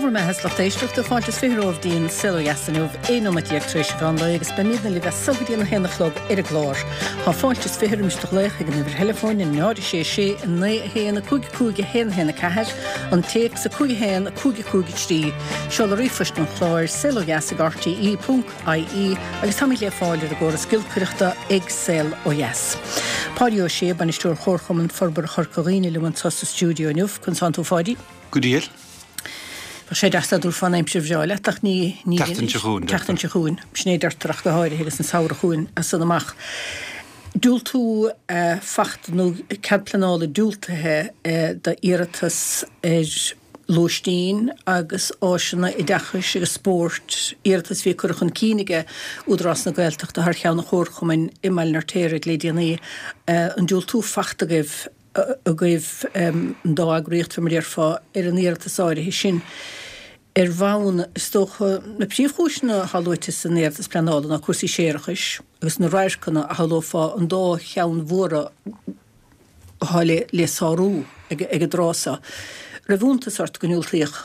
Bhur mbeatha is lucht éisteachta, fáilte is 20 romhaibh dtí'n Saol Ó Dheas inniu, 11 nóiméad tar éis an mheán lae agus beimidne libh as so go dtí an 1 a chlog ar an gclár. Tá fáilte is 20 roimis do ghlaoch ag an uimhir theileafóin 0 6 6 9 1 5 5 1 1 4, an téacs 5 1 5 5 3, seoladh ríomhphoist an chláir, saolodheas ag rte ponc ie, agus táimid le fáil ar an gcóras giolcaireachta ag Saol Ó Dheas. Páidí Ó Sé, Bainisteoir Chomharchumann Forbartha Chorca Dhuibhne liom anso sa stiúideo inniu. Conas tánn tú a Pháidí? Go diail. Bheadh sé deas dá dtabharfá an aimsir bhreá leat ach ní, ní. Tseachtain seo chugainn, deirtear. Tseachtain seo chugainn, sin é deirtear ach go háirithe agus an samhradh chugainn as san amach. Diúltú fachta nó cead pleanála diúltaithe d'iarratas ar lóistín agus áiseanna oideachais agus spóirt, iarratas a bhí curtha chun cinn aige Údarás na Gaeltachta thar cheann an Chomharchumainn i mBaile an Fheirtéaraigh le déanaí. An diúltú fachta agaibh? agaibh, an dá eagraíocht, fé mar a déarfá, ar an iarratas áirithe sin. Ar bhonn, is dócha, na príomhchúiseanna atá luaite san iarratas pleanála ná cúrsaí séarachais agus na radharcanna a shamhlófá an dá cheann mhóra atá le sárú ag an dtráth so. Raibh iontas ort go ndiúltaíodh?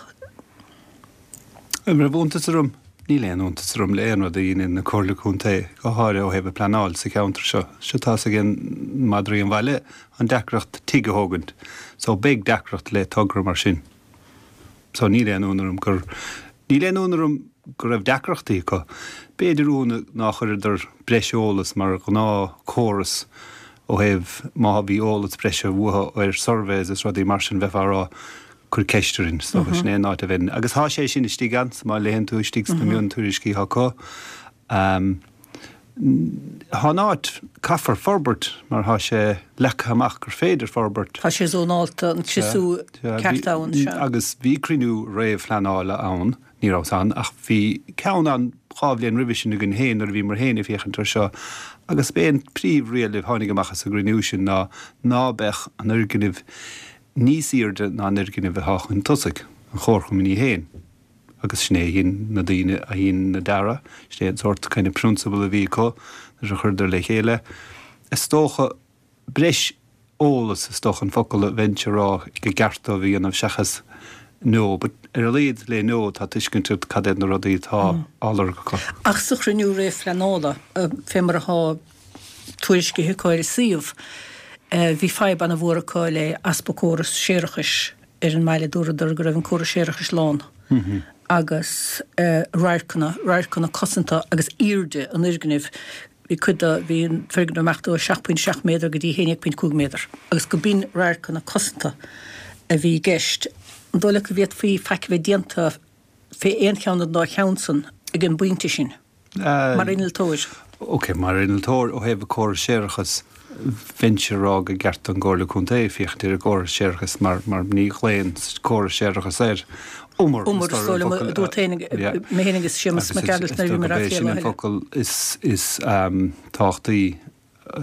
An raibh iontas orm? Níl aon iontas orm le aon rud a dheineann na Comhairle Contae, go háirithe ó thaobh an pleanáil sa cheantar seo. Seo tá's ag madraí an bhaile an deacracht tigh a thógaint. So beidh deacracht le togra mar sin. So níl aon ionadh orm gur, níl aon ionadh orm go raibh deacrachtaí acu. B'fhéidir ionadh ná chuireadar breis eolas mar ghnáth chóras ó thaobh má bhí eolas breise uathu ar surveys is rudaí mar sin bheifeá a rá cuir ceist orainn, is dócha, sin é an áit a bheinn. Agus tá sé sin istigh ann, má léann tú istigh sna miontuairiscí atá acu. Tá an áit, caithfear forbairt mar tá sé leagtha amach gur féidir forbairt. Tá sé zónálta, an criosú ceart ann, sea. Agus bhí cruinniú réamhphleanála ann, ní rabhas ann, ach bhí ceann ann dhá bhliain roimhe sin againn féin nuair a bhíomar féin ag féachaint air seo agus b'é an príomhriail a tháinig amach as an gcruinniú sin ná ná beadh an fhoirgneamh níos aoirde ná an fhoirgneamh atá chun tosaigh, an chomharchumainn í féin, agus sin é a dhein na daoine a dhein na dearadh, sin é an sórt kind of prionsabal a bhí acu nuair a chuireadar le chéile. Is dócha, breis eolas is dócha an focal a bheinnse a rá go gceart dóibh a dhéanamh seachas no, but ar a laghad le no tá tuiscint agat cad iad na rudaí atá á lorg acu. Ach sa chruinniú réamhphleanála, fé mar atá tuairiscithe acu ar a suíomh. Bhí fadhb ana mhór acu le easpa córas séarachais ar an mbaile. Dúradar go raibh an córas séarachais lán agus radharcanna, radharcanna cosanta agus aoirde an fhoirgnimh. Bhí cuid de, bhí an foirgneamh amach do 7.7 méadar go dtí 11.5 méadar agus go b'in radharcanna cosanta a bhí i gceist. An dóigh leat go bhféadfaí faic a bheith déanta fé aon cheann den dá cheann san ag an bpointe sin? Mar innealtóir. Ok, mar innealtóir, ó thaobh córas séarachais, bheinnse a rá go gceart don gComhairle Contae féachaint ar an gcóras séarachais mar mar ní ghlaonn córas séarachais air. Umar, Umar, is dóigh liom, a dúirt féin, mé féin agus Séamus Mac Gearailt nuair a bhíomar á phlé lá eile. Sin an focal is is tábhachtaí.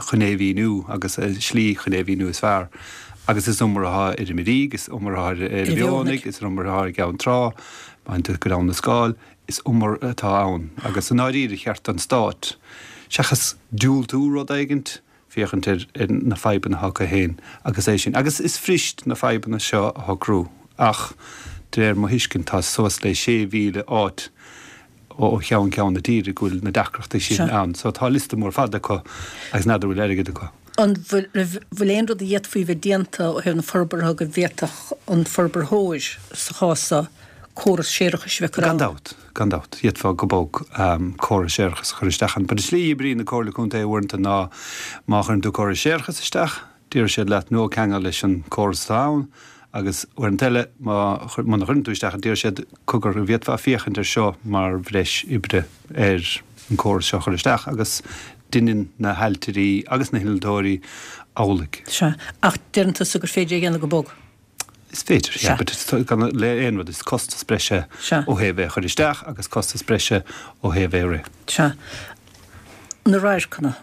chun é a mhíniú agus slí chun é a mhíniú is fearr. Agus is umar atá ar an Mhirígh, is umar atá ar an Mhionnaigh, is umar atá ar Cheann Trá, má théann tú go Abhainn na Scáil, is umar atá ann. Agus i ndáiríre, cheart don Stát, seachas diúltú rud éigint, féachaint ar na fadhbanna atá acu féin agus é sin. Agus is fuirist na fadhbanna seo a shocrú ach de réir mo thuiscint tá suas le 6,000 áit ó cheann ceann na tíre go bhfuil na deacrachtaí sin ann. So tá liosta mór fada acu agus n'fheadar bhfuil airgead acu. An bhfuil aon rud a d'fhéadfaí bheith déanta ó thaobh na forbartha go bhféadfadh an forbarthóir, sa chás seo, córas séarachais a bheith curtha ann? Gan dabht, gan dabht. D'fhéadfá go bog córas séarachais a chur isteach ann. But an tslí a oibríonn na Comhairle Contae uaireanta ná má chuireann tú córas séarachais isteach, Déarfaidh siad leat ná ceangail leis an córas atá ann agus uaireanta eile má muna chuireann tú isteach déarfaidh siad cogar an bhféadfá féachaint ar seo mar bhreis oibre ar an córas seo a chur isteach agus deineann na hailtirí agus na hinnealtóirí amhlaidh. Sea, ach deireann tusa gur féidir é a dhéanamh go bog. Is féidir, yeah, but it's gan le aon rud, is costas breise ó thaobh é a chur isteach agus costas breise ó thaobh é a rith. Sea. Na radharcanna.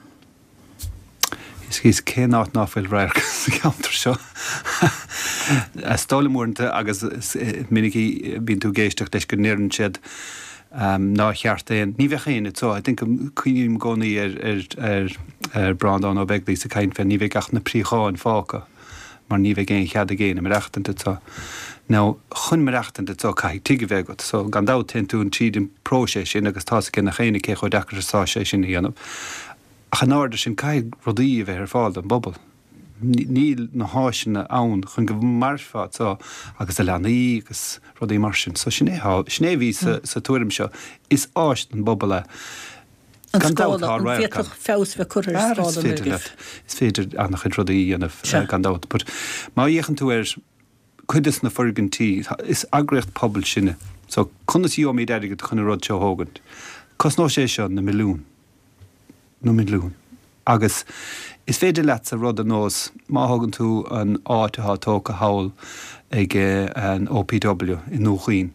Is cén áit ná fuil radharc sa cheantar seo? Is dóigh liom uaireanta agus is minic a bhíonn tú ag éisteacht leis go ndeireann siad nár cheart aon, ní bheadh aon, so I think cuimhním i gcónaí ar ar ar Breandán Ó Beaglaoich ag caint fé ní bheidh ach na préacháin fágtha. mar ní bheidh aon chead ag éinne maireachtaint anso. Now, chun maireachtaint anso caithfidh tigh a bheith agat, so gan dabht téann tú tríd an próiseas sin agus tá's ag gach éinne cé chomh deacair is atá sé sin a dhéanamh. Ach in airde sin caithfidh rudaí a bheith ar fáil don bpobal. Níl na háiseanna ann chun go mairfeá anso agus do leanaí agus rudaí mar sin. So sin é, sin é a bhí sa tuairim seo. Is áis don bpobal é. An Gan dabht, scála, an bhféadfadh feabhas a bheith curtha ar scála an fhoirgnimh? Is féidir an-chuid rudaí a dhéanamh, gan dabht. But má fhéachann tú ar cuid des na foirgintí, is eagraíocht pobail sinne. So conas a gheobhaimid airgead chun an rud seo a thógaint? Cosnóidh sé seo na milliúin. Na milliúin. Agus is féidir leatsa rud ar nós, má thógann tú an áit atá tógtha thall ag an OPW i nDún Chaoin,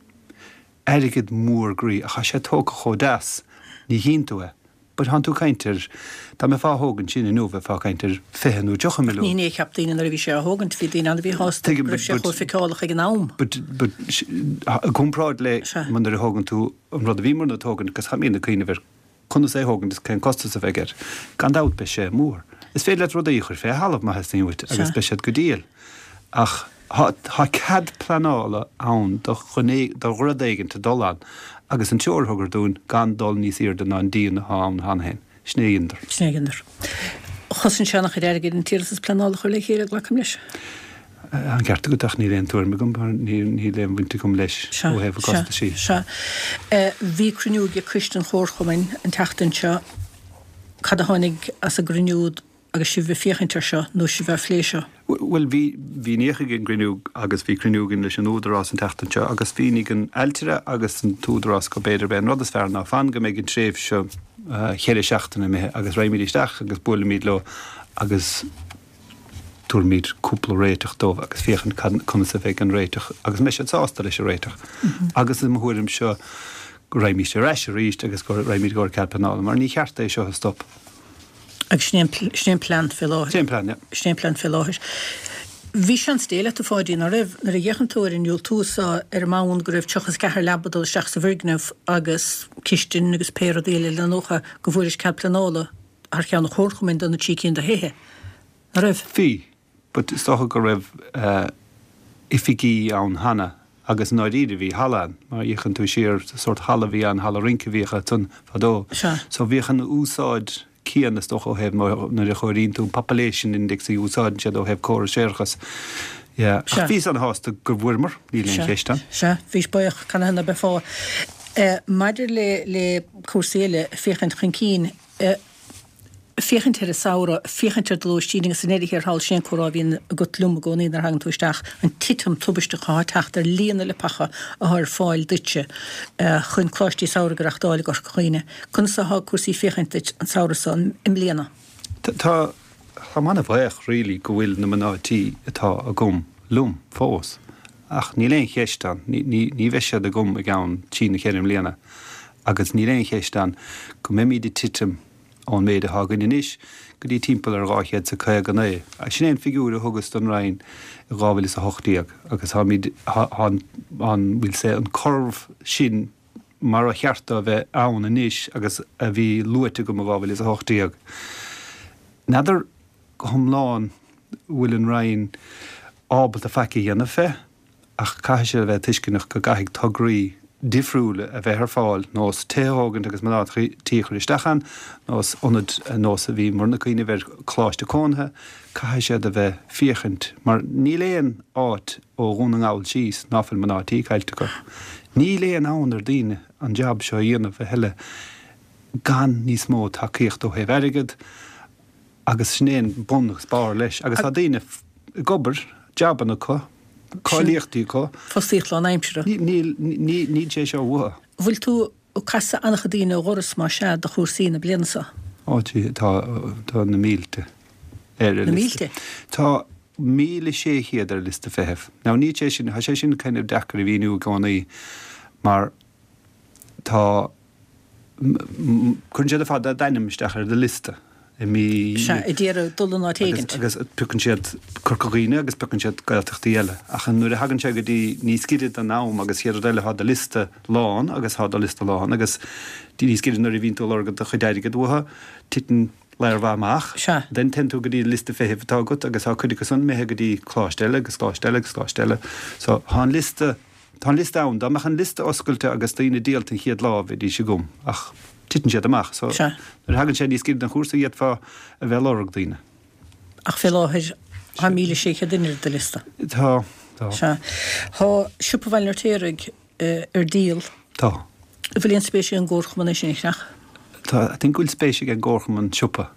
airgead mór groí ach tá sé tógtha chomh deas, ní chíonn tú é. But thánn tú ag caint ar, dá mbeifeá á thógaint sin inniu bheifeá ag caint ar 20 nó 30 milliún. Ní hin é a cheap daoine nuair a bhí sé á thógaint, bhí daoine ann a bhí sásta go raibh sé chomh feiceálach ag an am. But, but, i gcomparáid le nuair a thógann tú an rud a bhíomarna ag tógaint agus táimidne ag cuimhneamh ar Conas é a thógaint is cén costas a bheidh air? Gan dabht beidh sé mór. Is féidir leat rudaí a chur fé thalamh má theastaíonn uait agus beidh siad go diail. Ach tá cead pleanála ann do do rud éigint a dul ann agus an treoir a thugadar dúinn gan dul níos airde ná an díon atá ann cheana féin. Sin é a dheineadar. Sin é a dheineadar. Chosain sé an-chuid airgid an t-iarratas pleanála a chur le chéile, glacaim leis. An ceart agat ach níl aon tuairim agam mar níl aon bhaint agam leis ó thaobh na costaisí. Sea, sea. Bhí cruinniú ag Coiste an Chomharchumainn an tseachtain seo. Cad a tháinig as an gcruinniú agus sibh ag féachaint air seo nó sibh á phlé seo? Bhuel, bhí, bhí ní ag an gcruinniú agus bhí cruinniú againn leis an Údarás an tseachtain seo agus mhínigh an ailtire agus an tÚdarás go b'fhéidir b'é an rud is fearr ná fan go mbeidh an tréimhse cheithre seachtaine imithe agus raghaimid isteach agus buailfimid leo agus tabharfaimid cúpla réiteach dóibh agus féachaint conas a bheidh an réiteach agus an mbeidh siad sásta leis an réiteach. Agus i mo thuairimse go raghaimís ar ais arís agus go raghaimid i gcomhair cead pleanála mar ní cheart é seo a stop. Agus sin é an plean fé láthair. Sin é an plean, yeah. Sin é an plean fé láthair. Bhí seans Dé leat, a Pháidí, ná raibh, nuair a d'fhéachann tú ar an ndiúltú so ar an mbonn go raibh 34 leaba ag dul isteach sa bhfoirgneamh agus cistin agus pé rudaí eile le nócha go bhfuairis cead pleanála thar cheann an chomharchumainn do na trí cinn de thithe. Ná raibh? Bhí, but is dócha go raibh oifigí ann cheana agus i ndáiríre bhí halla ann, má fhéachann tú siar, sórt halla a bhí ann, halla rince a bhíodh ansan fadó. Sea. So bhíodh an úsáid céanna is dócha ó thaobh nuair a chomhairíonn tú an population index a úsáideann siad ó thaobh córas séarachais. Yeah. Ach bhíos an-shásta go bhfuaireamar, níl aon cheist ann. Sea, bhís buíoch, canathaobh ná beifeá. Maidir le le cúrsaí eile, féachaint chun cinn, féachaint ar an samhradh, féachaint ar do lóistín agus i ndeireadh thiar thall, sin é an comhrá a bhíonn agat liom i gcónaí nuair a thagann tú isteach, an titim tubaisteach atá ag teacht ar líon na leapacha atá ar fáil duitse chun coláistí samhraidh a reachtáil i gCorca Dhuibhne. Conas atá cúrsaí féachaint duit an samhradh so i mbliana? Tá, táim an-bhuíoch really go bhfuil na mná tí atá agam liom fós ach níl aon cheist ann, ní, ní bheidh siad agam i gceann trí nó cheithre mbliana. Agus níl aon cheist ann go mbeimid ag titim ón méid atá againn anois go dtí timpeall ar 259. Sin é an figiúr a thugas don Roinn i 2018 agus táimid, tá an, we'll say, an curve sin mar a cheart dó a bheith ann anois agus a bhí luaite agam i 2018. N'fheadar go hiomlán bhfuil an Roinn ábalta faic a dhéanamh fé. Ach caithfidh siad a bheith tuisceanach go gcaithfidh tograí difriúla a bheith ar fáil, nós tithe a thógaint agus mná tí a chur isteach ann, nós ionaid nós a bhíomarna ag cuimhneamh ar coláiste cónaithe, caithfidh siad a bheith féachaint, mar níl aon áit ó Dhún na nGall síos ná fuil mná tí caillte acu. Níl aon fhonn ar daoine an jab seo a dhéanamh a thuilleadh gan níos mó tacaíocht ó thaobh airgead, Agus sin é an bun agus barr leis. Agus tá daoine ag obair, jabanna acu, cáilíochtaí acu. Fostaíocht lánaimseartha. Níl, níl sé seo uathu. Bhfuil tú ag casadh an-chuid daoine ó dhoras, más ea, do chúrsaí na bliana seo? Ó, tá, tá na mílte ar an liosta. Na mílte? Tá 1,600 ar liosta feithimh. Now níl sé sin, tá sé sin kind of deacair a mhíniú i gcónaí mar tá, Cuireann siad ar fad d'ainm isteach ar do liosta i mí. Sea, a d'iarraidh dul in áit éigint. Agus piocann siad Corca Dhuibhne agus piocann siad Gaeltachtaí eile. Ach nuair a thagann sé go dtí níos giorra don am agus chéad rud eile tá do liosta lán agus tá do liosta lán agus níos giorra nuair a bhíonn tú ag lorg do chuid airgid uathu, titeann. Lear mhaith amach. Sea. Then téann tú go dtí an liosta feithimh atá agat agus tá cuid acu san imithe go dtí coláiste eile agus coláiste eile agus coláiste eile. So tá an liosta, tá an liosta ann. Dá mbeadh an liosta oscailte agus daoine díolta an chéad lá bheidís agam ach titeann siad amach. So Sea. nuair a thagann sé níos giorra don chúrsa d'fhéadfá a bheith ag lorg daoine. Ach fé láthair tá 1,600 duine ar do liosta. Tá, tá. Sea. Tá Siopa Bhaile an Fheirtéaraigh ar díol. Tá. An bhfuil aon spéis ag an gComharchumann é sin a cheannach? Tá, I think go bhfuil spéis ag an gComharchumann siopa,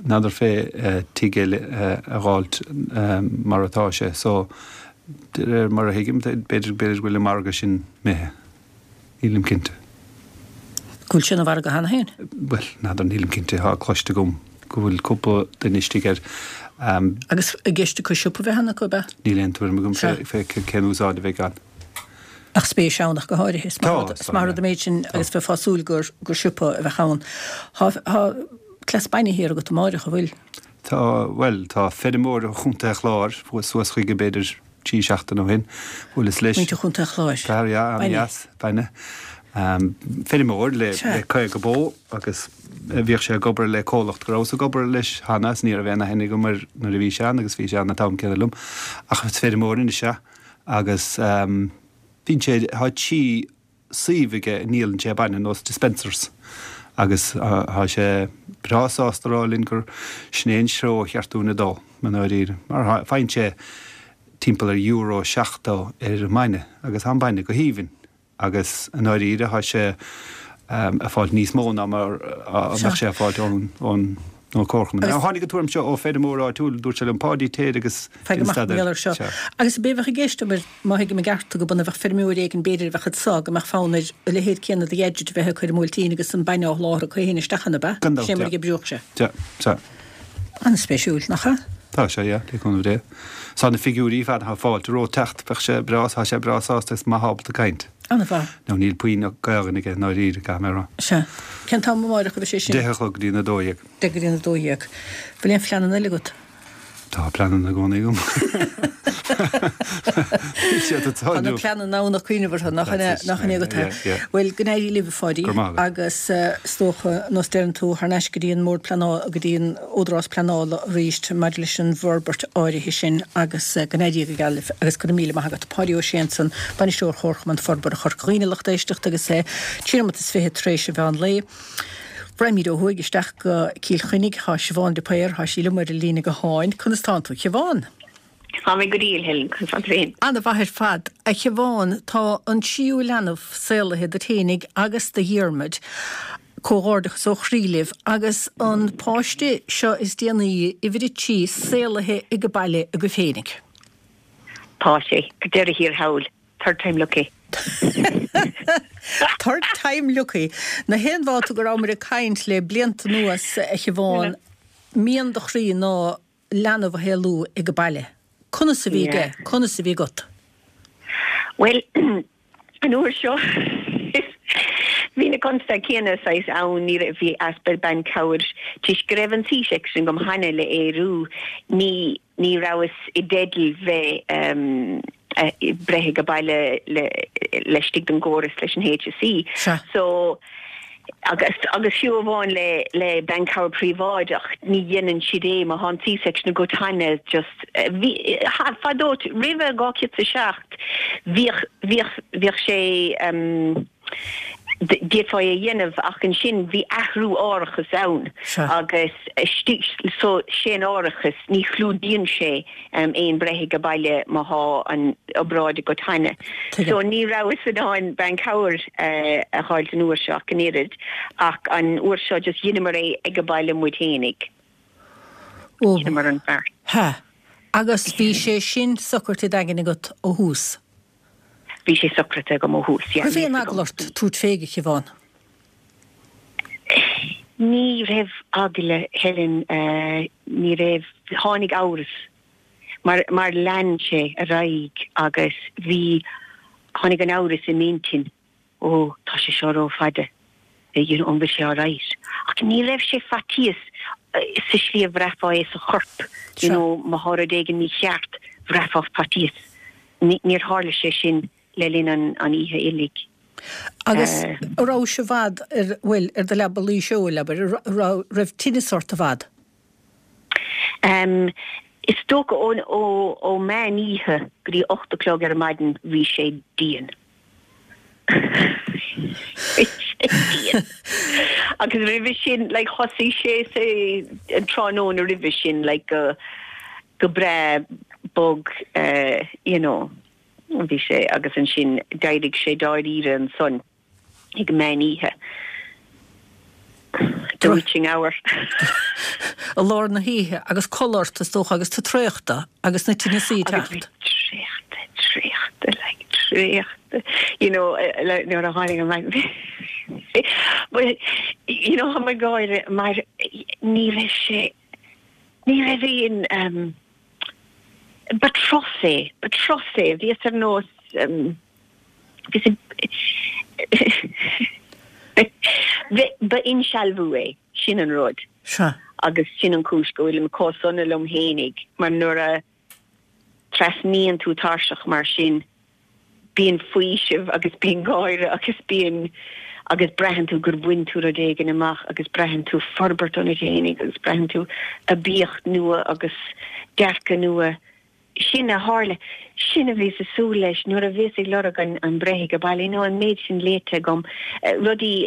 n'fheadar fé tigh eile a dh'fháilt mar atá sé. So, de réir mar a thuigim, b'fhéidir, b'fhéidir go bhfuil an margadh sin imithe. Nílim cinnte. Go bhfuil sé ina mhargadh cheana féin? Bhuel, n'fheadar, nílim cinnte. Tá cloiste agam go bhfuil cúpla duine istigh air. Agus i gceist acu siopa a bheith ann acu, ab ea? Níl aon tuairim agam fé cén úsáid a bheidh ann. Ach spéis ann ach go háirithe. Is maith an rud an méid sin agus bheifeá ag súil gur siopa a bheadh ann. Tá cleas bainne thiar agat amáireach, an bhfuil? Tá, bhuel, tá feirmeoir ó Chontae an Chláir, chuas suas chuige b'fhéidir trí seachtaine ó shin, bhuaileas leis. Muintir Chontae an Chláir. Fear, yeah, an-dheas, bainne. Feirmeoir le 50 bó agus bhíodh sé ag obair le comhlacht go rabhas ag obair leis cheana is ní raibh aon aithne agam air nuair a bhí sé ann agus bhí sé ann an t-am céanna liom. Ach is feirmeoir anois é agus bíonn sé, tá trí suíomh aige a ndíolann sé bainne, nós dispensers, agus tá sé breá sásta a rá linn gur sin é an treo a cheart dúinn a dul, i ndáiríre, mar faigheann sé timpeall ar euro 70 ar an mbainne agus tá an bainne go haoibhinn agus i ndáiríre tá sé ag fáilt níos mó ná mar a bheadh sé ag fáilt ón ón Chomharchumann. Now tháinig an tuairim seo ó feirmeoir áitiúil, dúirt sé liom, Páidí, téir agus Faigh déan amach mar staidéar. gheall air seo. Sea. Agus ab é a bheadh i gceist, abair, má thuigim i gceart tú, go b'ionann a bheadh feirmeoir éigin b'fhéidir a bheadh anso, go mbeadh fonn air a leithéid céanna de gadget a bheith acu ar an mBuailtín agus an bainne á sholáthar acu féin isteach ann, ab ea? Gan dabht, Sin é mar yeah. a d'oibreodh sé. Sea, sea. An-spéisiúil, nach ea? Tá sé, yeah, le cúnamh Dé. Tá na figiúirí fad, tá fáilte romhat teacht, bheadh sé breá, tá sé breá sásta is maith ábalta caint. An-mhaith. Now níl puinn Gaelainn aige i ndáiríre, caithfidh mé a rá. Sea. Cén t-am amáireach a bheidh sé sin? 10 a chlog go dtí an 12. 10 go dtí an 12. Bhfuil aon phleananna eile agat? Tá pleananna i gcónaí agam. Níl siad ag Tá na tarlú. pleananna ann ach cuimhneamh orthu, nach in That's it. nach in é agat é? Yeah, yeah. Bhuel, go n-éirí libh, a Pháidí. Go raibh maith agat. Agus is dócha, nós deireann tú, thar n-ais go dtí an mBord Pleanála, go dtí an Údarás Pleanála arís maidir leis an bhforbairt áirithe sin agus go n-éirí go geal libh agus go raibh míle maith agat. Páidí Ó Sé ansan, Bainisteoir Chomharchumann Forbartha Chorca Dhuibhne, lucht éisteachta agus é 3 nóimeat is 20 tar éis an mheán lae. Raghaimid ó thuaidh isteach go Cill Chainnigh. Tá Siobhán de Paor, tá sí liom ar an líne gutháin. Conas tánn tú, a Shiobhán? Tá mé go diail, Helen, conas tánn tú féin? Ana-mhaith ar fad. A Shiobhán, tá an tríú leanbh saolaithe duit fhéinig agus do Dhiarmaid. Comhghairdeachas ó chroí libh. Agus an páiste seo is déanaí, uimhir a trí, saolaithe ag baile agaibh féinig. Tá sé, ar deireadh thiar thall. Third time lucky. Third time lucky. Na haon bhabhta go rabhamar ag caint le blianta anuas, a Shiobhán, mian do chroí ná leanbh a shaolú ag baile. Conas a bhí aige? Conas a bhí agat? Bhuel, an uair seo bhí na constaicí céanna saghas ann, ní raibh, bhí easpa banchabhair toisc go raibh an C-section agam cheana le Ériu, ní, ní rabhas i dteideal bheith breith ag baile le, laistigh den gcóras leis an HSE. Sea. So, Agus, agus fiú amháin le, le banchabhair príobháideach, ní dhéanann siad é má thá an C-section agat cheana, just, bhí, fadó, roimhe 2007, bhíodh, bhíodh, bhíodh sé, d'fhéadfá é a dhéanamh ach ansin bhí athrú árachas ann agus istigh, so, sé an árachas, ní chlúdaíonn sé aon breith ag baile má thá an obráid agat cheana. So ní rabhas in ann banchabhair a dh'fháilt an uair seo ach an oiread ach an uair seo just dheineamar é ag baile muid fhéinig. Dheineamar an beart. Hea. Agus bhí sé sin socraithe i d'aigne agat ó thús? Bhí sé socraithe agam ó thús, yeah. Raibh aon eagla ort tabhairt fé, a Shiobhán? Ní raibh eagla, Helen, ní raibh. Tháinig amhras mar, mar lean sé ar aghaidh agus bhí, tháinig an amhras i m'intinn, ó, tá sé seo ró-fhada, you know, an bhfuil sé alright? Ach ní raibh sé faitíos sa slí a bhraithfeá é sa chorp, you know, má thá rud éigin mícheart, bhraithfeá faitíos. Níor tharla sé sin le linn an oíche uilig. Agus a' rabhais i bhfad ar, bhuel, ar do leaba luí seoil, abair, a raibh, raibh tinneas ort i bhfad? Em, is dócha ó, ó, ó meán oíche go dtí 8 a chlog ar maidin bhí sé dian. Bhí sé dian. Agus roimhe sin, like, thosaigh sé sa, an tráthnóna roimhe sin, like, go, go breá bog, eh, you know, bhí sé, agus ansin d'éirigh sé dáiríre ansan. ag meán oíche. The witching hour. I lár na hoíche agus codladh ort is dócha agus tú traochta agus na tinneasaí ag teacht. Agus bhí traochta, traochta, like traochta, you know, nuair a tháinig an maidin. But, you know, tá mé ag gáire mar ní raibh sé, ní raibh aon, um, ba turas é, ba turas é, bhíos ar nós, um, Ba insealbhú é, sin an rud. Sea. Agus sin an chúis go bhfuilim chomh sona liom fhéinig, mar nuair a trasnaíonn tú tairseach mar sin, bíonn faoiseamh agus bíonn gáire agus bíonn, agus braitheann tú gur bhain tú rud éigin amach agus braitheann tú forbairt ionat fhéinig agus braitheann tú aibíocht nua agus dearcadh nua. Sin a tharla. Sin a bhíos ag súil leis nuair a bhíos ag lorg an breith ag baile. You know, an méid sin léite agam, rudaí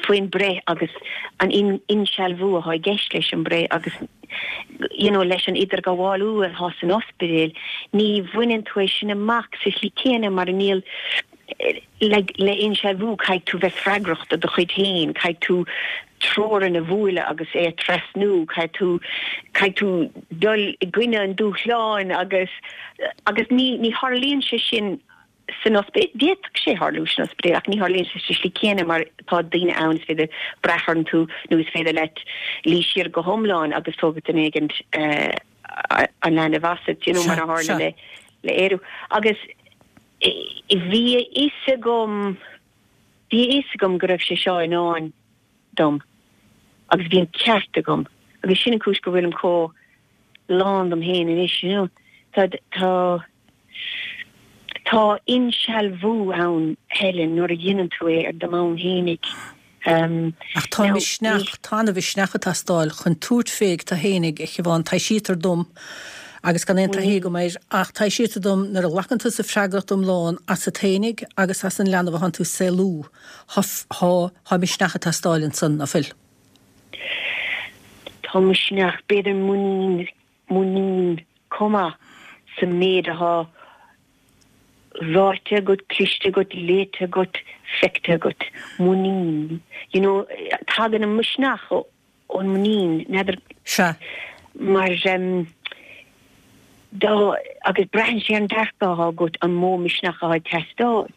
faoin breith agus an insealbhú atá i gceist leis an breith agus you know, leis an idirghabhálú atá san ospidéal, ní bhaineann tú é sin amach sa tslí céanna mar níl le le insealbhú caithfidh tú bheith freagrach do do chuid féin, caithfidh tú teorainn a bhualadh agus é a trasnú, caithfidh tú caithfidh tú dul i gcoinne an dúshláin agus agus ní ní tharlaíonn sé sin san ospidéal. D'fhéadfadh sé tharlú san ospidéal ach ní tharlaíonn sé sa slí céanna mar tá daoine ann is féidir brath orthu nó is féidir leat luí siar go hiomlán agus tógfaidh duine éigin an leanbh asat, you know, mar a tharla le le Ériu. Agus Bhí a fhios agam, bhí a fhios agam go raibh sé seo i ndán dom agus bhí an ceart agam agus sin an chúis go bhfuilim chomh lán dom féin anois, you know. Tá, tá, tá insealbhú ann, Helen, nuair a dhéanann tú é ar do bhonn fhéinig. Ach tá misneach, tá ana-mhisneach ag teastáil chun tabhairt fé ag tú fhéinig, a Shiobhán. Taibhsítear dom, agus gan aon taithí agam air, ach taibhsítear dom nuair a ghlacann tusa freagracht iomlán asat fhéinig agus as an leanbh atánn tú ag saolú, thá, thá misneach ag teastáil ansan, ná fuil? Tá misneach, b'fhéidir muinín, muinín chomh maith sa méid athá ráite agat, cloiste agat, léite agat, feicthe agat. Muinín. You know, tagann an misneach ón muinín, n'fheadar. Sea. Mar em, dá, agus braitheann sé ar an dearcadh athá agat an mó misneach athá ag teastáil.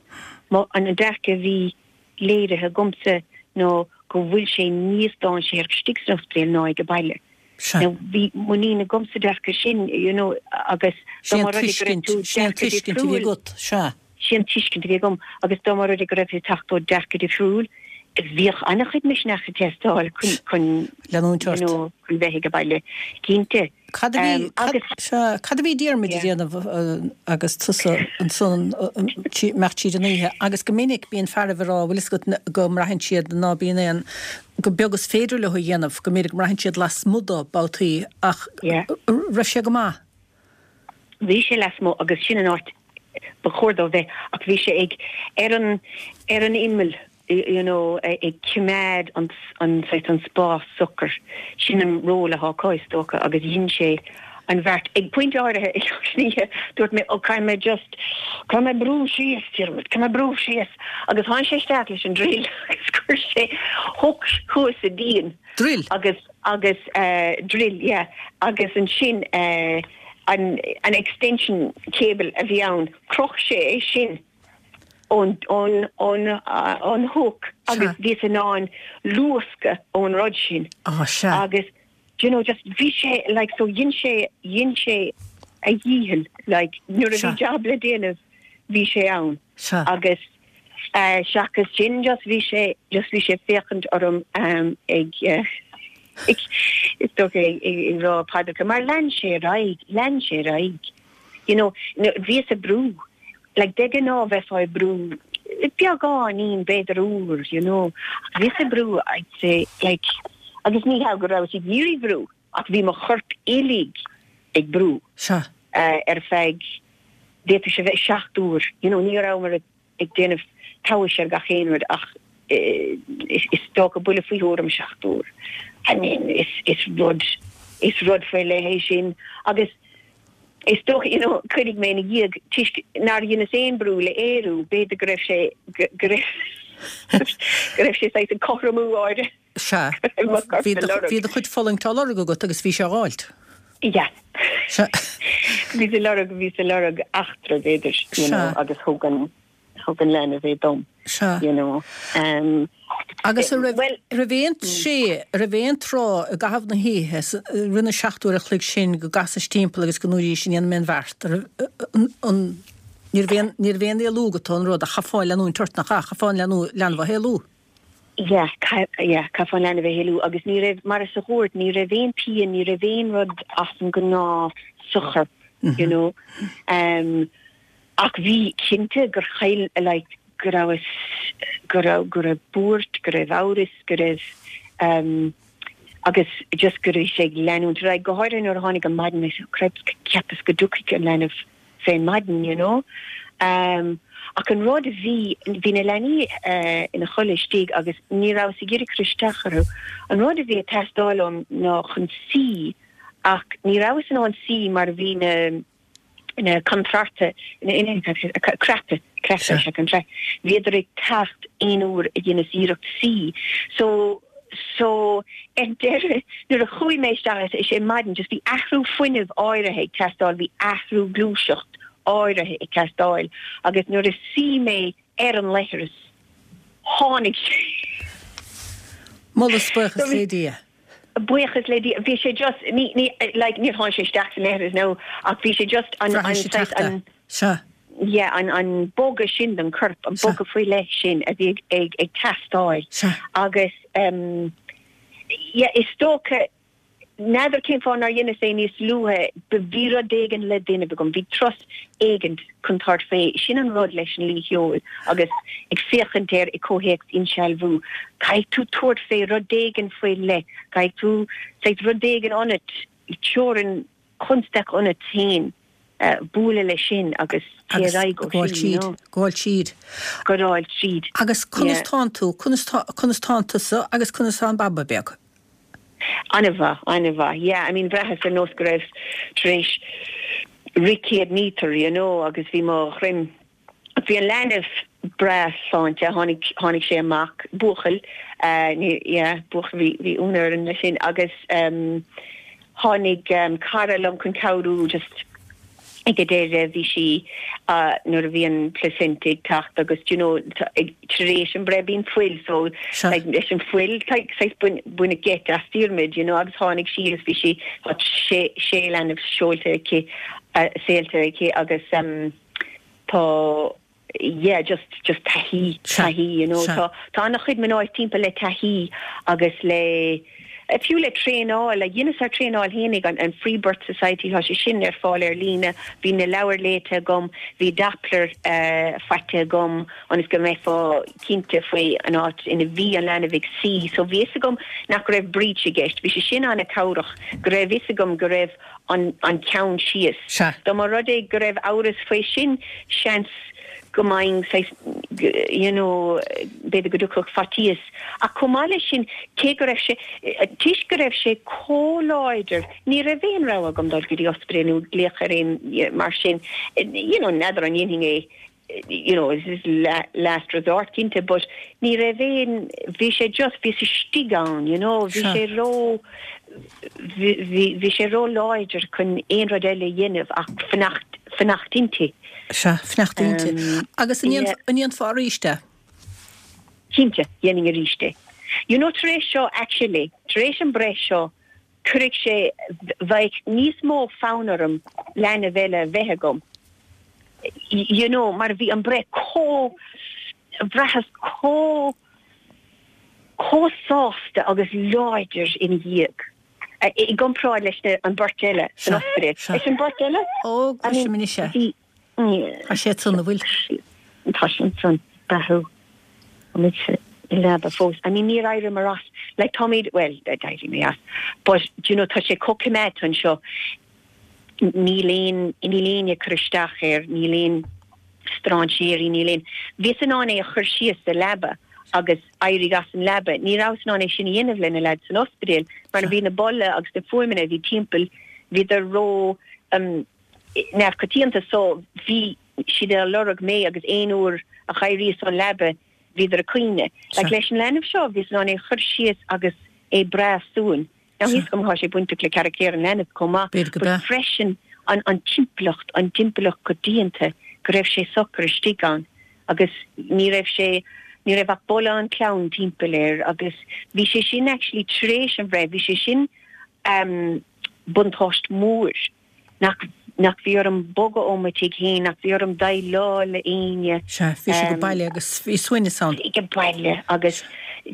Má, an dearcadh a bhí léirithe agamsa ná go bhfuil sé níos dainséaraí istigh san ospidéal ná ag baile. Sea. Now bhí muinín agam sa dearcadh sin, you know, agus dá mba rud é go raibh tú Sin an dearcadh tuiscint a bhí difriúil, agat, sea. sin an tuiscint a bhí agam, agus dá mba rud é go raibh tú ag teacht ó dearcadh difriúil, bhíodh an-chuid misneach ag teastáil chun, chun, Leanúint you ort. know, chun bheith ag baile, cinnte. Cad a bhí, cad, Agus. sea, cad a bhí Diarmuid a Yeah. déanamh agus tusa ansan imeacht tríd an oíche? Agus go minic bíonn fearaibh ag rá, bhfuil fhios agat, go mbraitheann siad ná bíonn aon, gur beag is féidir leo a dhéanamh, go mb'fhéidir go mbraitheann siad lasmuigh dó babhtaí ach Yeah. raibh sé go maith? Bhí sé lasmuigh agus sin an áit ba chóir dó bheith ach bhí sé ag, ar an, ar an imeall you know, ag coimeád an, an saghas, an spás socair. Sin an ról atá acu is dócha agus dhein sé an bheart. Ag pointe áirithe i lár na hoíche dúirt mé oh caithfidh mé just, caithfidh mé brú síos Diarmuid, caithfidh mé brú síos agus tháinig sé isteach leis an drill agus chuir sé hook thuas sa díon. Drill? Agus, agus eh, drill, yeah, agus ansin eh, an, an extension cable a bhí ann, chroch sé é sin. ón ón hook agus bhíos in ann luascadh ón rud sin. Á, sea. Agus do you know just bhí sé like so dhein sé dhein sé a dhícheall like nuair a bhí jab le déanamh bhí sé ann. Sea. Agus eh seachas sin just bhí sé just bhí sé ag féachaint orm ag eh is dócha ag rá paidreacha mar lean sé ar aghaidh lean sé ar aghaidh you know bhíos ag brú Like de ghnáth bheifeá ag brú. Beagáinín, b'fhéidir uair, you know. Ach bhíos ag brú, I'd say, like, agus ní hea go rabhas ag iarraidh brú, ach bhí mo chorp uilig ag brú. Sea. Ar feadh, d'fhéadfadh sé bheith 7 uair, you know, ní rabhamar ag déanamh tomhais ar gach aon rud ach is dócha buille faoi thuairim 7 uair. I mean, is, is rud, is rud faoi leith é sin agus is dócha, you know, cuirfidh mé ina dhiaidh, toisc nár dheineas aon brú le aerú, b'fhéidir go raibh sé, go raibh, go raibh sé saghas ag cothromú áirithe. Sea. Bhí do, bhí do chuid fulaingt á lorg agat agus bhí sé á fháilt. Yeah. Sea. Bhíos ag lorg, bhíos ag lorg eachtra, b'fhéidir, you know, agus thug an, thug an leanbh é dom. Sea. You know. Um, Agus an raibh, well, raibh aon tréith, raibh aon tráth i gcaitheamh na hoíche, i rith na seacht uair a chloig sin go gcasais timpeall agus go ndúraís an ndéanfaidh mé an bheart, an, an, ní raibh aon, ní raibh aon éalú agat ón rud ach chaithfeá leanúint ort, nach ea, chaithfeá an leanbh, leanbh a shaolú. Yeah, yeah, chaithfeá an leanbh a shaolú agus ní raibh, mar is a dhúirt, ní raibh aon pian, ní raibh aon rud as an ngnáth sa chorp, you know. Um, ach bhí cinnte gur chaill, like, go rabhas, go raibh, go raibh buairt, go raibh amhras, go raibh, um, agus just go raibh sé ag leanúint ar aghaidh, go háirithe nuair a tháinig an maidin, I said, cripes, cheapas go dtiocfadh an leanbh fén maidin, you know. Um, ach an rud a bhí, bhí na leanaí uh, ina chodladh istigh agus ní rabhas ag iarraidh cur isteach orthu. An rud a bhí ag teastáil uaim ná chun suí ach ní rabhas in ann suí mar bhí na na contrártha, na, crapadh, crapadh, sea, contrártha. Bhíodar ag teacht aon uair a dheineas iarracht suí. So, So, ar deireadh, nuair a chuaigh mé isteach is é maidin, just bhí athrú fuinnimh áirithe ag teastáil, bhí athrú gluaiseacht áirithe ag teastáil agus nuair a suigh mé ar an leithreas, tháinig sé. Moladh is buíochas le Dia. Buíochas le Dia. Bhí sé just, ní, ní, like, níor tháinig sé isteach sa leithreas, no, ach bhí sé just an, an, saghas, an. Sea. yeah, an, an bogadh sin don chorp, an bogadh faoi leith sin a bhí ag, ag, ag teastáil. Sea. Agus, em, yeah, is dócha, n'fheadar cén fáth nár dheineas é níos luaithe, but bhí rud éigin le déanamh agam, bhí turas éigin chun tabhairt fé, sin an rud leis an luí sheoil agus ag féachaint air i comhthéacs insealbhú, caithfidh tú tabhairt fé rud éigin faoi leith, caithfidh tú, saghas rud éigin ionat, teorainn, constaic ionat féin bualadh leis sin agus téigh ar aghaidh ó sin, you know. Gabháil tríd. Gabháil tríd. Agus conas tánn tú, conas tá, conas tánn tusa agus conas tá an baba beag? An-mhaith, an-mhaith, yeah, I mean bhraitheas ar nós go raibh tar éis rith 100 míotar, you know, agus bhí mo dhroim Bhí an leanbh breá sláinte, tháinig, tháinig sé amach, buachaill, ní, yeah, buachaill, bhí, bhí ionadh orainn leis sin agus tháinig cara liom chun cabhrú just ag an deireadh, bhí sí, nuair a bhí an placenta ag teacht agus do you know, ag, tar éis an breith bíonn fuil so like leis an fuil like saghas bain, baineadh geit as Diarmuid you know agus tháinig sí agus bhí sí, tá sé, sé leanbh seolta aici, saolta aici agus Tá, yeah, just, just taithí, taithí, you know. Tá, tá an-chuid mná timpeall le taithí agus le, fiú le traenáil, like dheineas ár traenáil fhéinig, an, an Free Birth Society, tá sé sin ar fáil ar líne, bhí na leabhair léite agam, bhí Doppler eh, faighte agam ionas go mbeifeá cinnte faoi an áit ina bhí an leanbh ag suí, so bhí fhios agam nach raibh breech i gceist, bhí sé sin an-cabhrach, go raibh fhios agam go raibh an an ceann síos. Sea. Dá mba rud é go raibh amhras faoi sin, seans go mbeinn saghas, you know, b'fhéidir go dtiocfadh faitíos. Ach chomh maith leis sin, cé go raibh sé, toisc go raibh sé chomh láidir, ní raibh aon rogha agam dul go dtí ospidéal nó glaoch ar aon mar sin, you know, n'fheadar an ndéanfainn é you know, this is last resort cinnte, but ní raibh aon, bhí sé just, bhíos istigh ann, you know, bhí sé ró, bhí, bhí sé ró láidir chun aon rud eile a dhéanamh ach fanacht, fanacht inti. Sea, fanacht inti. Agus an ndéanfá arís é? Cinnte, dhéanfainn arís é. You know, tar éis seo, actually, tar éis an breith seo, cuirfidh sé, bheadh níos mó fonn orm leanbh eile a bheith agam, you know, mar bhí an breith chomh, bhraitheas chomh, chomh sásta agus láidir ina dhiaidh, i gcomparáid leis na, an bheirt eile san ospidéal. Leis an bheirt eile? Ó, cloisim anois é. Tá sé ansan, an bhfuil? Tá sé ansan. Beathú. Táimid sa leaba fós. I mean níor éiríomar as. Like táimid, bhuel, d'éirigh mé as. But, do you know, tá sé chomh coimeádta anseo. Níl aon, níl éinne ag cur isteach air, níl aon strainséirí, níl aon. Bhíos in ann é a chur síos sa leaba agus éirí as an leaba. Ní rabhas in ann é sin a dhéanamh le na leaids san ospidéal mar bhí na boladh agus na fuaimeanna a bhí timpeall, bhíodar ró um, neamhchoitianta so bhí siad ag lorg mé agus aon uair a dh'éiríos ón leaba bhíodar ag caoineadh. Like leis an leanbh seo bhíos in ann é a chur síos agus é breá suain. Now tá a fhios agam tá sé bainteach le carachtar an leanbh chomh maith B'fhéidir go but freisin an an timpeallacht, an timpeallacht coitianta go raibh sé socair istigh ann agus ní raibh sé ní raibh ach boladh an chlann timpeall air agus bhí sé sin actually tar éis an bhreith bhí sé sin um buntáiste mór. Nach, nach bhí orm bogadh ó mo tigh féin, nach bhí orm déileáil le éinne. Sea, bhí sé age baile agus bhí suaimhneas ann. Age baile agus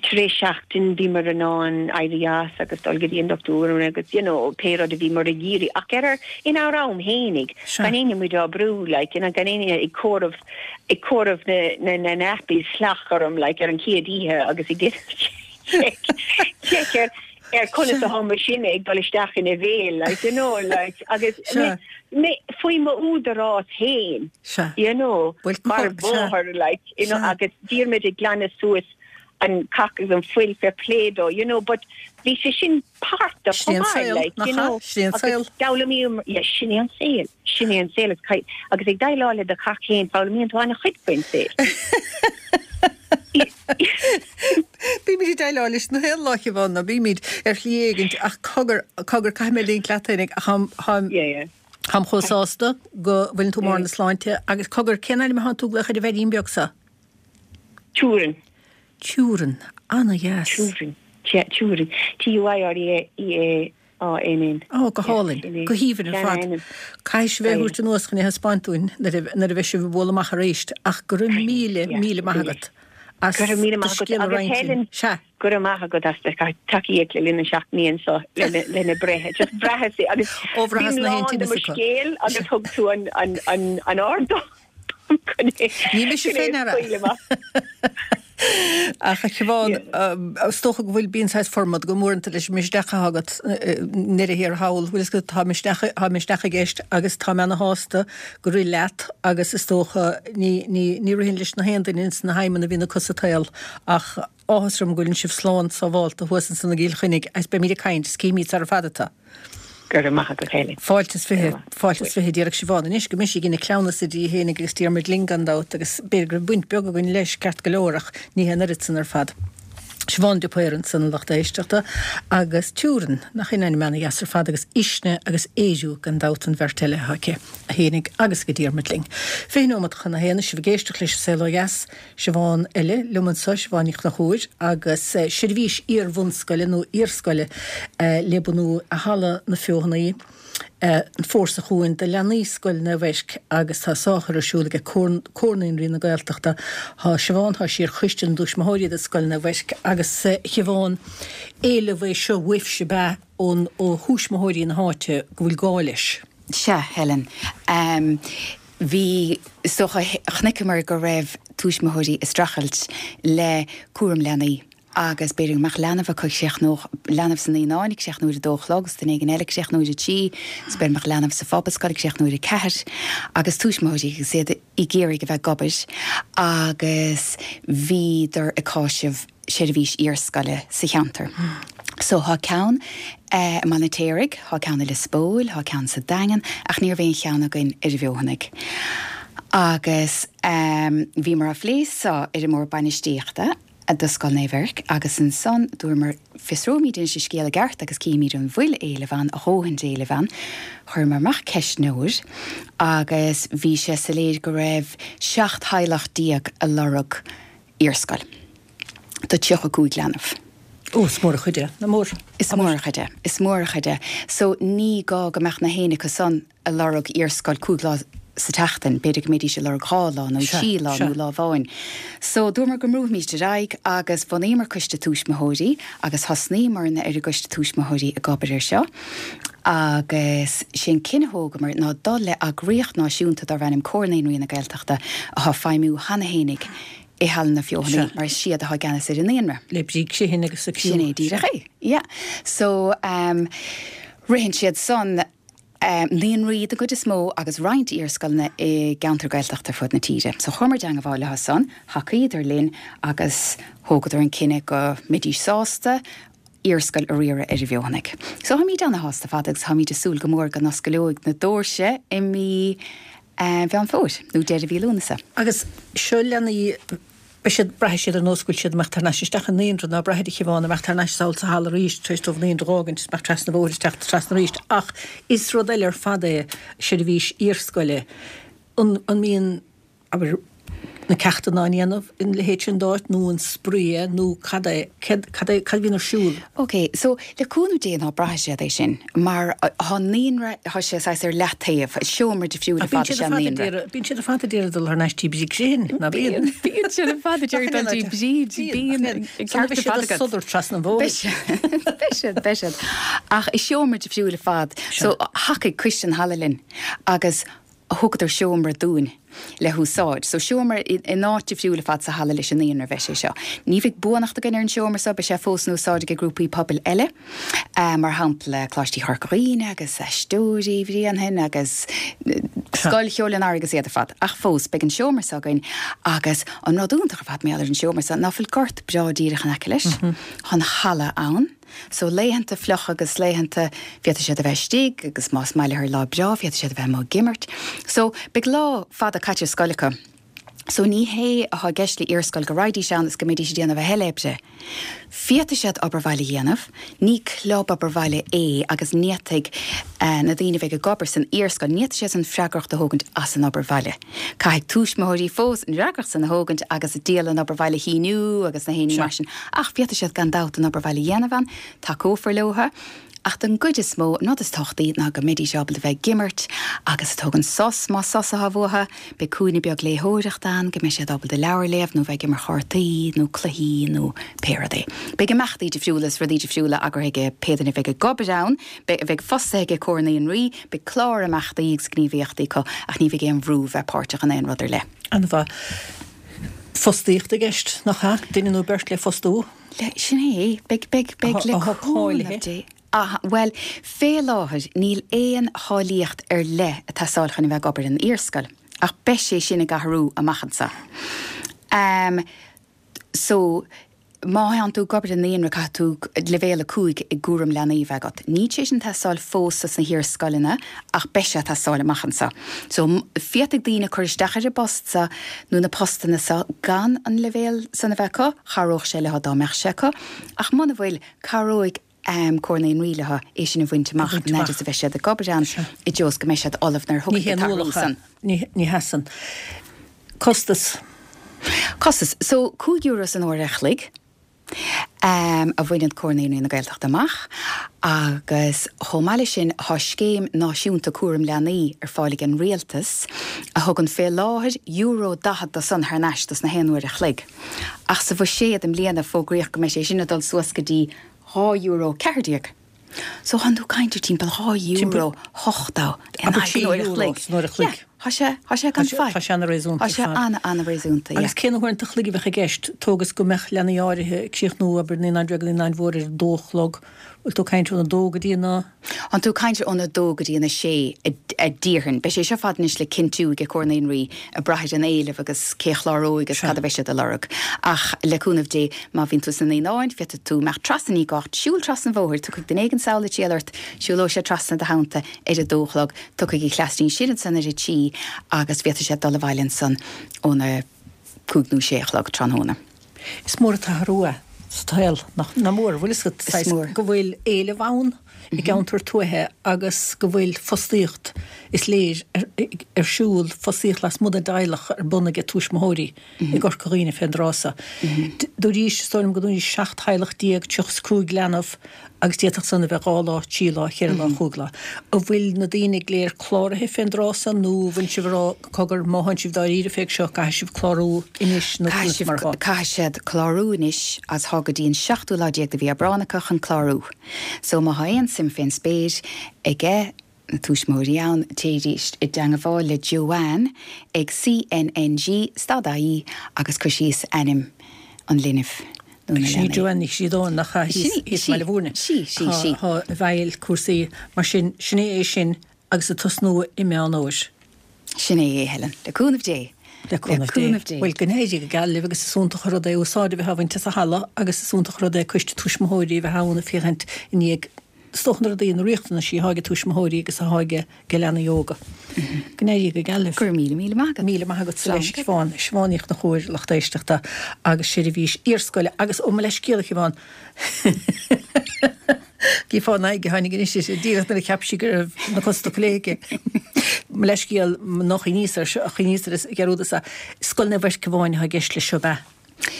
tar éis seachtain bhíomar in ann éirí as agus dul go dtí an dochtúir agus you know pé rud a bhíomar ag iarraidh ach ar ár, inár am fhéinig, gan éinne muid á brú like, you know, gan éinne ag comhaireamh, ag comhaireamh na, na, na nappies salach orm like ar an chéad oíche agus ag déanamh check, check ar, ar conas atá mo shine ag dul isteach ina bhéal, like, you know, like, agus mé faoi m'údarás féin, you know, mar mháthair, like, you know, agus Diarmuid ag glanadh suas an cac agus an fuil fair play dó, you know, but bhí sé sin páirt de chomh maith, like, you know, agus d'fhoghlaimíomar, yeah, sin é an saol, sin é an saol, agus ag déileáil le do chac féin, foghlaimíonn tú an-chuid faoin saol. Bímid ag déileáil leis na haon lá, Siobhán, nó bímid ar shlí éigint, ach cogar, cogar, caithfidh mé ligint leat fhéinig, ach táim, Yeah, yeah. táim chomh sásta go bhfuileann tú i mbarr na sláinte, agus cogar, cén ainm atánn tú ag glaoch ar an bhfeirín beag so? Tuaireann. Tuaireann. Ana-dheas. Tuaireann. Tuaireann. T-U-I-R-E-A. A-N-N. Ó, go hálainn. Go haoibhinn ar fad. Caithfidh sibh é a thabhairt anuas chun é a thaispeáint dúinn nuair a bheidh sibh ag bualadh amach arís. Ach go raibh míle, míle maith agat as do scéal a roinnt linn. Sea. Go raibh maith agat as do tacaíocht le linn na seachtainí seo lena breith. Just bhraitheas é agus Ó, bhraitheas bím na haon lán de tinneas mo acu. scéal agus thug tú an ardán. Ní mise fé ndeara. Ach a Shiobhán, is dócha go bhfuil, bíonn saghas formad agam uaireanta leis an misneach atá agat i ndeireadh thiar thall, bhfuil fhios agat, tá misneach, tá misneach i gceist agus tá mé ana shásta gur rith leat agus is dócha ní, ní, ní ritheann leis na haon duine ins na haidhmeanna a bhíonn acu sa tsaol ach áthas orm go bhfuileann sibh slán sábhálta thuas ansan i gCill Chainnigh agus beimid ag caint, is cífimid sara fada tú. Go raibh maith agat, Helen. Fáilte is 20, fáilte is 20 déarfadh Siobhán anois go mbeidh sí ag déanamh cleamhnais di fhéinig agus Diarmuid linn gan dabht agus b'fhéidir go raibh baint beag againn leis ceart go leor ach ní hé an oiread san ar fad. Siobhán de Paor ansan a lucht éisteachta agus Tuaireann, nach in ainm ana-dheas ar fad agus Uisne agus Ériu gan dabht an bheirt eile atá aici, a fhéinig agus ag Diarmuid linn. 20 nóimeat chun a haon, is sibh ag éisteacht leis an Saol Ó Dheas. Siobhán eile liom anseo, Siobhán Ní Chonchúir, agus seirbhís iar-bhunscoile nó iarscoile le bunú i Halla na Feothanaí an fómhar seo chugainn do leanaí Scoil Naomh Eirc agus tá á chur ar siúl ag Comhar Naíonraí na Gaeltachta. Tá Siobhán, tá sí ar choiste na dtuismitheoirí do Scoil Naomh Eirc agus a Shiobhán, éileamh é seo uaibhse ab ea ón ó thuismitheoirí na háite go bhfuil gá leis? Sea, Helen. Bhí, is dócha, chonaiceamar go raibh tuismitheoirí ag streachailt le cúram leanaí agus b'fhéidir go mbeadh leanbh acu ag críochnódh, leanbh sna naíonáin ag críochnú ar a dó a chlog agus duine éigin eile ag críochnú ar a trí agus b'fhéidir go mbeadh leanbh sa phobalscoil ag críochnú ar a ceathair agus tuismitheoirí agus iad ag iarraidh a bheith ag obair agus bhíodar ag cáiseamh seirbhís iarscoile sa cheantar. So thá ceann i mBaile an Fheirtéaraigh, thá ceann i Lios Póil, thá ceann sa Daingean ach ní raibh aon cheann againn ar an bhFeothanaigh. Agus bhíomar á phlé so ar an mBord Bainistíochta do Scoil Naomh Eirc agus ansan dúramar fiosróimid anois an scéal i gceart agus cífimid an bhfuil éileamh ann, a dhóthain d'éileamh ann. Chuireamar amach ceistneoir agus bhí sé soiléir go raibh 17 theaghlach ag lorg iarscoil do 35 leanbh. Ó, is mór an chuid é. Nach mór. Is mór an chuid é. Is mór an chuid é. So ní gá go mbeadh na héinne acu san ag lorg iarscoil 5 lá sa tseachtain, b'fhéidir go mbeidís ag lorg 2 lá nó 3 lá nó lá amháin. So dúramar go mbrúfaimís ar aghaidh agus bhunaíomar coiste tuismitheoirí agus thosnaíomarna ar an gcoiste tuismitheoirí ag obair ar seo agus sé an cinneadh a thógamar ná dul le eagraíocht náisiúnta darb ainm Comhar Naíonraí na Gaeltachta atá ag feidhmiú cheana fhéinig. I Halla na Feothanaí mar is iad atá i gceannas ar an naíonra. Le Bríd Criomhthain agus a criú. Sin é díreach é. Yeah. So, ritheann siad san naíonraí den gcuid is mó agus roinnt iarscoileanna i gceantar Gaeltachta ar fud na tíre. So chuamar i dteangabháil leo san, thacaíodar linn agus thógadar an cinneadh go mbeidís sásta iarscoil a riaradh ar an bhFeothanaigh. So táimíd ana-shásta ar fad agus táimíd ag súil go mór go n-oscaileoidh na doirse i mí Mheán Fómhair, nó deireadh mhí Lúnasa. Agus seo leanaí, beidh siad, braithfidh siad ar nós go bhfuil siad ag imeacht thar n-ais isteach i naíonra, ná braithfidh a Shiobhán, imeacht thar n-ais sall sa halla arís tar éis dóibh naíonra a dh'fhágaint, is imeacht trasna an bhóthair is teacht trasna arís. Ach is rud eile ar fad é seirbhís iarscoile. An, an mbíonn, abair, na ceachtanna á ndéanamh ina leithéid sin d'áit nó an spraoi é nó cad é, céard, cad é, cad a bhíonn ar siúl? Ok, so le cúnamh Dé ná braithfidh siad é sin mar tá an naíonra, tá sé saghas ar leataobh, seomra difriúil ar fad is ea an naíonra. Bíonn siad ar fad ag iarraidh dul thar n-ais dtí Bríd Criomhthain, ná bíonn? Bíonn siad ar fad ag iarraidh dul dtí Bríd, bíonn, ceart ar fad agat. Sodar trasna an bhóthair. Beidh siad, beidh siad, beidh siad. Ach is seomra difriúil ar fad. So thacaigh coiste an halla linn agus thugadar seomra dúinn le húsáid. So seomra in áit difriúil ar fad sa halla leis an naíonra a bheidh sé seo. Ní bheidh buanacht againn ar an seomra seo, beidh sé fós in úsáid ag grúpaí pobail eile, mar shampla Coláistí Chorca Dhuibhne agus Aisteoirí Bhréanainn agus Scoil Cheoil an Earraigh agus iad ar fad. Ach fós, beidh an seomra seo againn agus an rud iontach ar fad mar gheall ar an seomra seo ná fuil gort breá díreach in aice leis, tá an halla ann. So laethanta fliucha agus laethanta féadfaidh siad a bheith istigh agus más maith leo ar lá breá féadfaidh siad a bheith amuigh ag imirt. So beidh lá fada caite ar scoil acu. So ní hé atá i gceist le iarscoil go raghaidís ann is go mbeidís ag déanamh a thuilleadh oibre. Féadfaidh siad obair bhaile a dhéanamh, ní club obair bhaile é agus ní fhéadfaidh na daoine a bheidh ag obair san iarscoil, ní fhéadfaidh siad an freagracht a thógaint as an obair bhaile. Caithfidh tuismitheoirí fós an fhreagracht san a thógaint agus dialann obair bhaile a shíniú agus na héinní mar sin, ach féadfaidh siad gan dabht an obair bhaile a dhéanamh ann, tacófar leotha. Ach don gcuid is mó, an rud is tábhachtaí ná go mbeidís ábalta bheith ag imirt agus ag tógaint sos, más sos atá uathu. Beidh cúinne beag léitheoireachta ann go mbeidh siad ábalta leabhar a léamh nó bheith ag imirt chártaí nó cluichí nó pé rud é. Beidh imeachtaí difriúla is rudaí difriúla eagraithe ag pé duine a bheidh ag obair ann, a bheidh fostaithe ag Comhar Naíonraí. Beidh clár imeachtaí agus gníomhaíochtaí acu ach ní bheidh aon bhrú bheith páirteach in aon rud ar leith. An-mhaith. Fostaíocht i gceist, nach ea? Duine nó beirt le fostú? Le, sin é. Beidh, beidh, beidh le Atá cúnamh cáilithe. Dé. Ah, bhuel, fé láthair níl aon cháilíocht ar leith ag teastáil chun a bheith ag obair in iarscoil, ach beidh sé sin ag athrú amach anseo. Ahm, so, má thánn tú ag obair i naíonra caithfidh tú leibhéal 5 i gcúram leanaí a bheith agat. Níl sé sin ag teastáil fós sna hiarscoileanna ach beidh sé ag teastáil amach anseo. So, féadfaidh daoine cur isteach ar an bpost seo nó na postanna seo gan an leibhéal san a bheith acu, chabhródh sé leo dá mbeadh sé acu, ach muna bhfuil, cabhróidh Comhar Naíonraí leo é sin a bhaint amach an fhad is a bheidh siad ag obair ann i dtreo is go mbeidh siad ullamh nuair a Ní thiocfaidh haon an t-athrú ualach é. san. Ní, ní hea san. Costas. Costas. So, €5 san uair a chloig a bhaineann Comhar Naíonraí na Gaeltachta amach agus chomh maith leis sin tá scéim náisiúnta cúram leanaí ar fáil ag an Rialtas a thugann fé láthair euro 40 do san thar n-ais dos na haon uair a chloig. Ach sa bhuiséad i mbliana fógraíodh go mbeidh sé sin ag dul suas go dtí €2.14. So thánn tú ag caint ar timpeall €2.80 in aghaidh an uair a chloig. San uair a chloig. Yeah, tá sé, tá sé gan faic. Tá sé ana-réasúnta Tá sé ana-ana-réasúnta, yeah. Agus cé na huaireanta a chloig a bheadh i gceist? Tóg is go mbeadh leanaí áirithe ag críochnú, abair, naíonáin bheaga, naíonáin mhóra ar a dó a chlog. Bhfuil tú ag caint óna dó go dtí a. Thánn tú ag caint óna dó go dtí an a sé, a déarfainn. Beidh sé seo fad anois le cinntiú ag Comhar Naíonraí ag brath ar an éileamh agus cé a chláróidh agus cad a bheidh siad a lorg. Ach le cúnamh Dé, má bhíonn tú sna naíonáin, féadfaidh tú imeacht trasna, ní gá ach siúl trasna an bhóthair, tiocfaidh duine éigin sall ag triall ort, siúlóidh sé trasna i do theannta ar a dó a chlog, tiocfaidh an chleas sin ansan ar a trí agus féadfaidh siad dul abhaile ansan óna cúig nó sé a chlog tráthnóna. Is mór an t-athrú é sa tsaol, nach mór? Bhfuil fhios agat, saghas, go bhfuil éileamh ann i gceantar tuaithe agus go bhfuil fostaíocht, is léir, ar siúl, fostaíocht lasmuigh den dteaghlach ar bun ag tuismitheoirí i gCorca Dhuibhne fén dtráth so. Dúraís, is dóigh liom go ndúraís 17 theaghlach, 35 leanbh agus d'fhéadfadh san a bheith dhá lá, trí lá, cheithre lá, chúig lá. An bhfuil na daoine go léir cláraithe fén dtráth san nó an bhfuil sibh ag rá, cogar, má thánn sibh dáiríre fé seo, caithfidh sibh clárú anois nó conas mar atá? Caithfidh siad clárú anois agus thá go dtí an seachtú lá déag de mhí Aibreán acu chun clárú. So má thá aon suim fén spéir aige. na tuismitheoirí ann, téidís i dteangabháil le Joanne ag CNNG stad IE agus cuir síos ainm an linbh nó na Sin í leanaí. Joanne Ní Chríodáin nach ea thíos Sí, thíos i mBaile Mhúirne. sí, sí, sí. Tá i bhfeighil cúrsaí mar sin. Sin é é sin agus ag tosnú i Meán Fhómhair. Sin é é, Helen. Le cúnamh Dé. Le cúnamh Dé. Bhuel, go n-éirí go geal libh agus is iontach an rud é úsáid a bheith á bhaint as an halla agus is iontach an rud é coiste tuismitheoirí a bheith ann ag féachaint i ndiaidh is dócha na rudaí, na riachtanaisí atá ag tuismitheoirí agus atá ag leanaí óga. Go n-éirí go geal libh. Go raibh míle míle maith agat. Míle maith agat leis, Siobhán. Siobhán Ní Chonchúir, lucht éisteachta agus seirbhís iarscoile agus ó mo leithscéal a Shiobhán. Gífeá an aghaidh a tháinig anois uirthi, díreach nuair a cheap sí go raibh na cosa tugtha léi aici. Mo leithscéal, nár chuimhníos air seo, chuimhníos ar dhearúdas é. Scoil Naomh Eirc amháin atá i gceist leis seo, ab ea?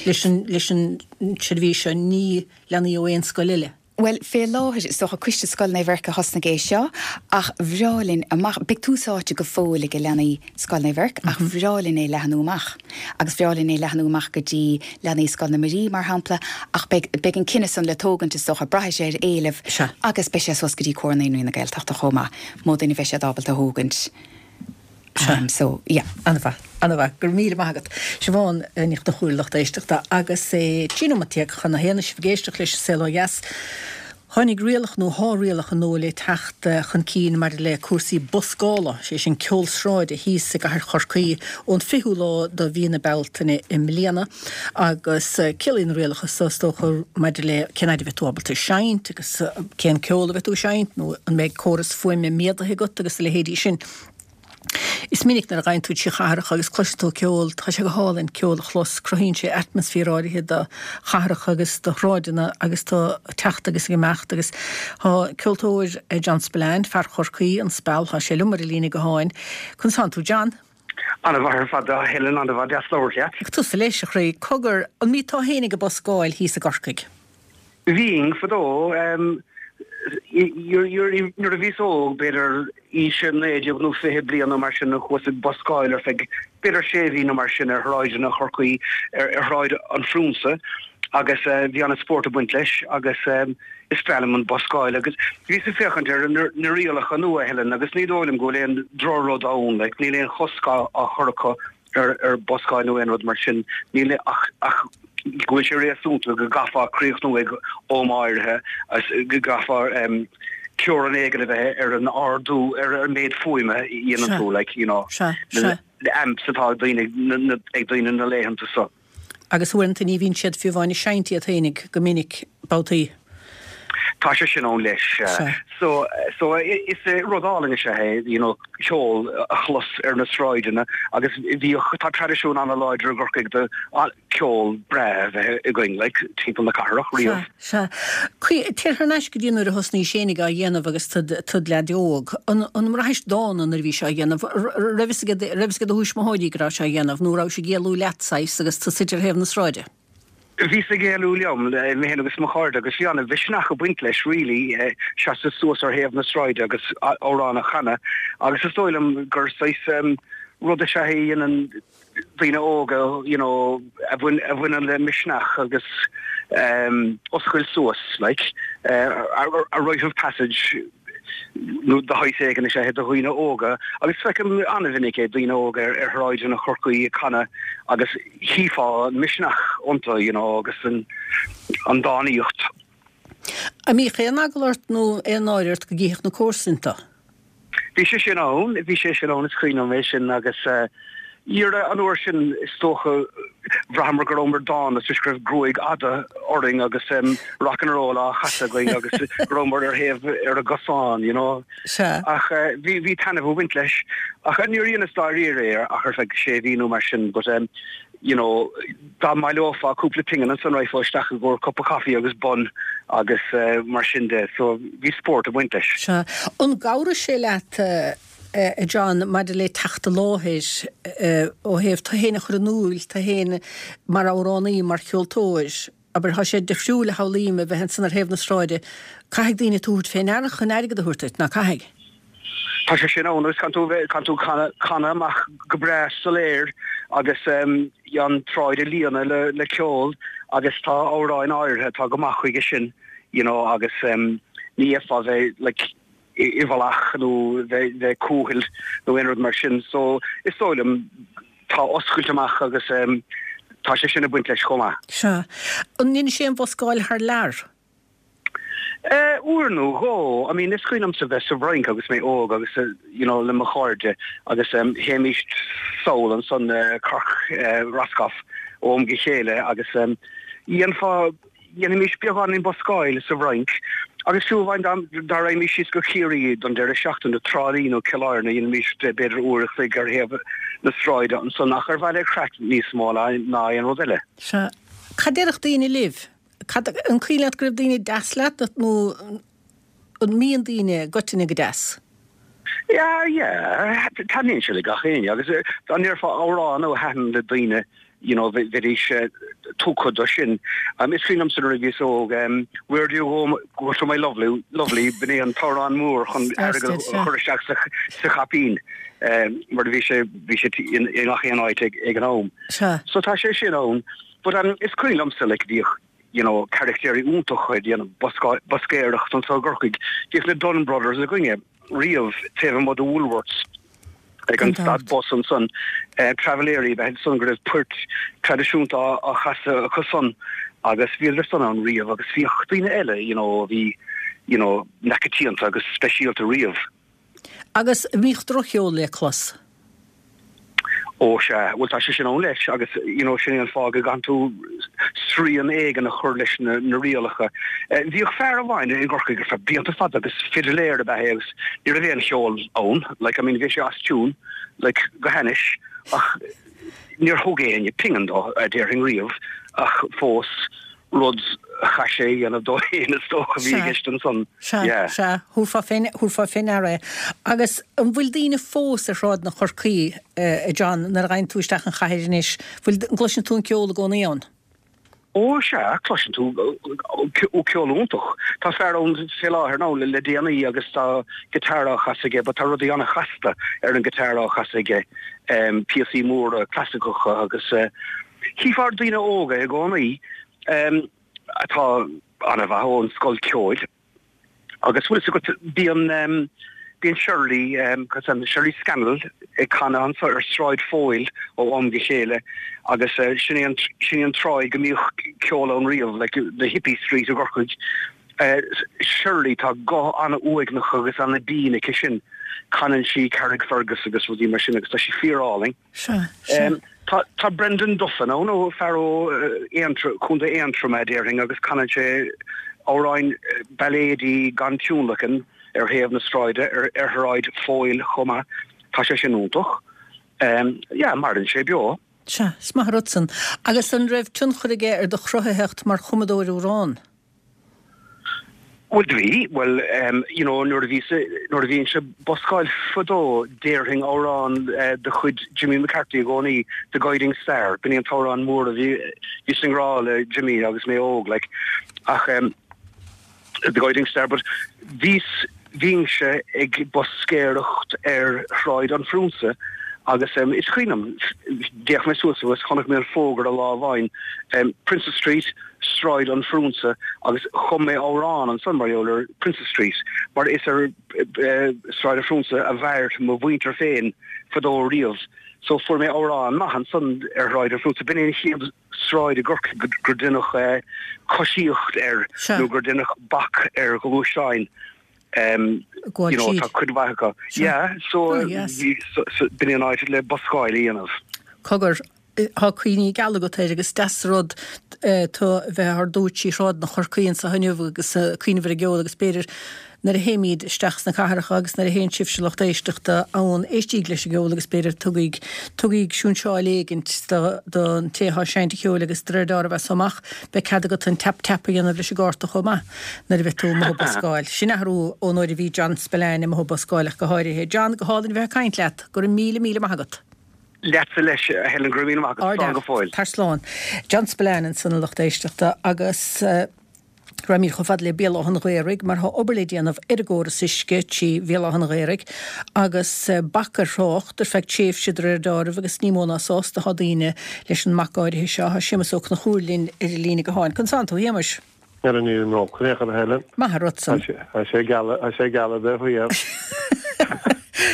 Leis an, leis an tseirbhís seo, ní leanaí ó aon scoil eile. Bhuel, fé láthair, is dócha, Coiste Scoil Naomh Eirc a thosnaigh é seo, ach bhreá linn amach, beidh tús áite go fóill ag leanaí Scoil Naomh Eirc, ach bhreá linn é leathnú amach. Agus bhreá linn é leathnú amach go dtí leanaí Scoil na Muirí, mar shampla, ach beidh, beidh an cinneadh san le tógaint, is dócha, braithfidh sé ar éileamh, agus beidh sé suas go dtí Comhar Naíonraí na Gaeltachta chomh maith, mó duine a bheidh siad ábalta a thógaint. Sea. So, yeah. An-mhaith. An-mhaith. Go raibh míle maith agat. Siobhán Ní Chonchúir, lucht éisteachta, agus é 13 nóiméad chun a haon, sibh ag éisteacht leis An Saol Ó Dheas. Tháinig rialacha nó thá rialacha nua le teacht chun cinn maidir le cúrsaí buscála, sé sin ceol sráide, thíos i gcathair Chorcaí ón 20ú lá de mhí na Bealtaine i mbliana agus ciallaíonn na rialacha so is dócha maidir le cén fhaid a bheidh tú ábalta seinnt agus cén ceol a bheidh tú ag seinnt nó an mbeidh córas fuaime méadaithe agat agus a leithéidí sin. Is minic nuair a ghabhann tú trí chathracha agus cloiseann tú ceol, tá sé go hálainn ceol a chlos, cruthaíonn sé atmaisféar áirithe do chathracha agus do shráideanna agus tú ag teacht agus ag imeacht agus tá ceoltóir John Spillane, fear Chorcaí, an Speal, tá sé liom ar an líne gutháin. Conas tánn tú John? An-mhaith ar fad a Helen, an-mhaith, deas labhairt leat. Tusa leis, a chroí. Cogar, an mbíonn tú fhéinig ag buscáil thíos i gCorcaigh? Bhínn, fadó. Nuair a bhíos óg, b'fhéidir aois 19 nó 20 bliain nó mar sin, chuas ag buscáil ar feadh b'fhéidir sé mhí nó mar sin ar shráideanna Chorcaí, ar Shráid an Phrionsa agus bhí an-spórt ag baint leis agus is breá liom an buscáil agus bhíos ag féachaint ar na rialacha nua, Helen, agus ní dóigh liom go bhfuil aon drochrud ann, like, níl aon chosc á chur acu ar buscáil nó aon rud mar sin. Níl ach ach go bhfuil sé réasúnta go gcaithfeá críochnú ag am áirithe agus go gcaithfeá teorainn éigin a bheith ar an ardú ar an méid fuaime a dhéanann tú, like, you know, na amps atá ag daoine ag daoine na laethanta so. Agus uaireanta ní bhíonn siad fiú amháin ag seinnt iad fhéinig go minic, babhtaí. Tá sé sin ann leis. So, so is rud álainn is ea é, you know, ceol a chlos ar na sráideanna agus bhíodh, tá traidisiún an-láidir i gCorcaigh de ceol breá a bheith againn, like, timpeall na cathrach riamh. Sea, sea. Téir thar n-ais go dtí nuair a thosnaís fhéinig á dhéanamh agus tud, tud leaid óg. An, an mbraithis dána nuair a bhís á dhéanamh? Raibh fhios ag, raibh fhios ag do thuismitheoirí go rabhais á dhéanamh nó rabhais ag éalú leat, saghas, agus tú suite ar thaobh na sráide? Bhíos ag éalú liom, mé féin agus mo chairde, agus bhí an-mhisneach ag baint leis really, seasamh suas ar thaobh na sráide agus amhrán a chanadh. Agus is dóigh liom gur saghas rud is ea é a dhéanann daoine óga, you know, a bhaineann le misneach agus oscailt suas, like, a rite of passage. nó de shaghas éigin is ea é do dhaoine óga agus feicim an-mhinic é, daoine óga ar shráideanna Chorcaí ag canadh agus chífeá an misneach iontu, you know, agus an dánaíocht. An mbíodh aon eagla ort nó aon náire ort go gcífeadh na comharsain tú? Bhí sé sin ann, bhí sé sin ann, is cuimhin liom é sin agus Dhera, an uair sin, is dócha, bhraitheamar go rabhamar dána toisc go raibh gruaig fhada orainn agus rock and roll á chasadh againn agus go rabhamar ar thaobh ar an gcosán, you know. Sea. Ach bhí, bhí taitneamh ag baint leis. Ach níor dheineas dáiríre é ach ar feadh sé mhí nó mar sin but you know, dá mbaileofá cúpla pingin ansan raghfá isteach i gcomhair cupa coffee agus bun agus mar sin de. So bhí spórt ag baint leis. Sea. An gcabhraigh sé leat a John, maidir le teacht i láthair ó thaobh tú fhéin a chur in iúl, tú fhéin mar amhránaí, mar cheoltóir, abair, tá sé difriúil a shamhlaím a bheith ansan ar thaobh na sráide, caithfidh daoine tú a thabhairt fé ndeara chun airgead a thabhairt duit, ná caithfidh? Tá sé sin ann agus caithfidh tú bheith, caithfidh tú canadh, canadh amach go breá soiléir agus an tsráid a líonadh le, le ceol agus tá amhráin áirithe atá go maith chuige sin, you know, agus ní fhéadfá bheith, like. i bhfolach nó bheith cúthail nó aon rud mar sin. So is dóigh liom tá oscailt amach agus tá sé sin ag baint leis chomh maith. Sea. An ndeinis aon bhuscáil thar lear? Uair nó dhó. I mean is cuimhin liomsa bheith sa bhFrainc agus mé óg agus you know le mo chairde agus théimíst sall ansan Cork Roscoff ó am go chéile agus dhéanfá dhéanfaimis beagáinín buscáil sa bhFrainc agus fiú amháin dá dá raghaimís síos go Ciarraí don deireadh seachtaine, Trá Lí nó Cill Airne, dhéanfaimis b'fhéidir uair a chloig ar thaobh na sráide ansan ach ar mhaithe le craic níos mó ná aon rud eile. Sea. Cad déarfadh daoine libh? Cad, an cuimhin leat go raibh daoine deas leat nó an mbíonn daoine i gcoitinne go deas? Yeah, yeah, taitníonn sé le gach éinne agus dá ndéarfá amhrán a thaitin le daoine, you know, bheidís tugtha do sin. Is cuimhin liomsa nuair a bhíos óg, Where do you go, go to my lovely, lovely, b'in é an t-amhrán mór chun airgead a chur isteach sa sa chaipín mar bhí sé, bhí sé i ngach aon áit ag ag an am. So tá sé sin ann. But is cuimhin liomsa like bhíodh you know caractéirí iontacha ag déanamh buscéireacht anseo i gCorcaigh. Bhíodh na Dunne Brothers againne riamh taobh amuigh de Woolworths ag an stad bus ansan. Travelléirí ab ea iad san go raibh poirt traidisiúnta á chasadh acu san agus bhíodar san ann riamh agus bhíodh daoine eile you know a bhí you know neachoitianta agus speisialta riamh. Agus an mbíodh drochcheol le clos? Ó sea, bhuel tá sé sin ann leis agus you know sin é an fáth go gcaitheann tú srian éigin a chur leis na na rialacha. Bhíodh fear amháin i gCorcaigh ar feadh blianta fada agus fidiléir ab ea é agus ní raibh aon cheol ann, like I mean bhí sé as tune like go hainnis ach níor thug éinne pingin dó a déarfainn riamh ach fós rud a chaith sé a dhéanamh dó féin is dócha a bhí i gceist ansan. Sea, Yeah. sea, thabharfá fé, thabharfá fé ndeara é. Agus an bhfuil daoine fós ar shráideanna Chorcaí, a John, nuair a ghabhann tú isteach an chathair anois, bhfuil, an gcloiseann tú an ceol i gcónaí ann? Ó sea, cloiseann tú ceol iontach. Tá fear ann fé láthair nó le déanaí agus tá guitar á chasadh aige but tá rudaí an-chasta ar an guitar á chasadh aige, píosaí móra clasaiceacha agus Chífeá daoine óga i gcónaí atá an-mhaith ón scoil ceoil agus bhfuil fhios agat bíonn bíonn Shirley Shirley Scannell ag canadh anso ar Sráid Phóil ó am go chéile agus sin é an sin é an tsráid go mbíodh ceol ann riamh like the hippie street i gCorcaigh. Shirley tá guth an-uaigneach agus an-bhinn aici sin. Canann sí Carrickfergus agus rudaí mar sin agus tá sí fíor-álainn. Sea, sea. Tá, tá Brendan Duffin ann, ó fear ó Aontroim, Contae Aontroma, déarfainn, agus canann sé amhráin bailéidí gan tionlacan ar thaobh na sráide, ar, ar Shráid Phóil chomh maith. Tá sé sin iontach. Yeah, maireann sé beo. Sea, is maith an rud san. Agus an raibh tionchar aige ar do chruthaitheacht mar chumadóir amhrán? Bhuel do bhí, bhuel you know nuair a bhíos, nuair a bhínnse ag buscáil fadó déarfainn amhrán de chuid Jimmy McCarthy i gcónaí, The Guiding Star, b'in é an t-amhrán mór a bhí, bhíos i ngrá le Jimmy agus mé óg like ach The Guiding Star but bhíos, bhínnse ag buscéireacht ar Shráid an Phriúnsa agus is cuimhin liom, d'fhéach mé suas agus chonaic mé an fógra lá amháin, Princes Street, Sráid an Phriúnsa agus chum mé amhrán ansan mar gheall ar Princes Street mar is ar Sráid an Phriúnsa a mhair mo mhuintir féin fadó riamh so fuair mé amhrán maith ansan ar Shráid an Phriúnsa. B'in é an chéad sráid i gCorcaigh gur deineadh coisíocht air nó gur deineadh bac ar ghluaisteáin. You know, tá cuid mhaith acu. Yeah, so b'in é an áit le buscáil a dhéanamh. Cogar, tá cuimhní geala agat air agus deas an rud tú a bheith ár dtabhairt trí shráideanna Chorcaí anso inniu agus cuimhneamh ar an gceol agus b'fhéidir nuair a théimid isteach sna cathracha agus nuair a théann sibhse lucht éisteachta ann éistíg leis an gceol agus b'fhéidir tugaig tugaig siúnseáil éigint don té atá ag seinnt an cheoil agus de réir dealraimh as so amach beidh cead agat an tap tap a dhéanamh leis an gcárta chomh maith nuair a bheidh tú amuigh ag buscáil. Sin athrú ón uair a bhí John Spillane amuigh ag buscáil ach go háirithe. John, go hálainn a bheith ag caint leat. Go raibh míle míle maith agat. Leatsa leis, a Helen, go raibh míle maith agat. Slán go fóill. Tar slán. John Spillane ansan a lucht éisteachta agus raghaimid chomh fada le Béal Átha an Ghaorthaidh mar tá obair le déanamh ar an gcóras uisce trí Bhéal Átha an Ghaorthaidh agus bac ar thrácht ar feadh tréimhse de réir deáraimh agus ní mó ná sásta atá daoine leis an mbac áirithe seo. Tá Séamus Ó Conchúir linn ar an líne gutháin. Conas tánn tú, a Shéamais? Ara nílim rómhar in aon chor, a Helen. Maith an rud san. Tá sé geal, tá sé geal a bheith thiar.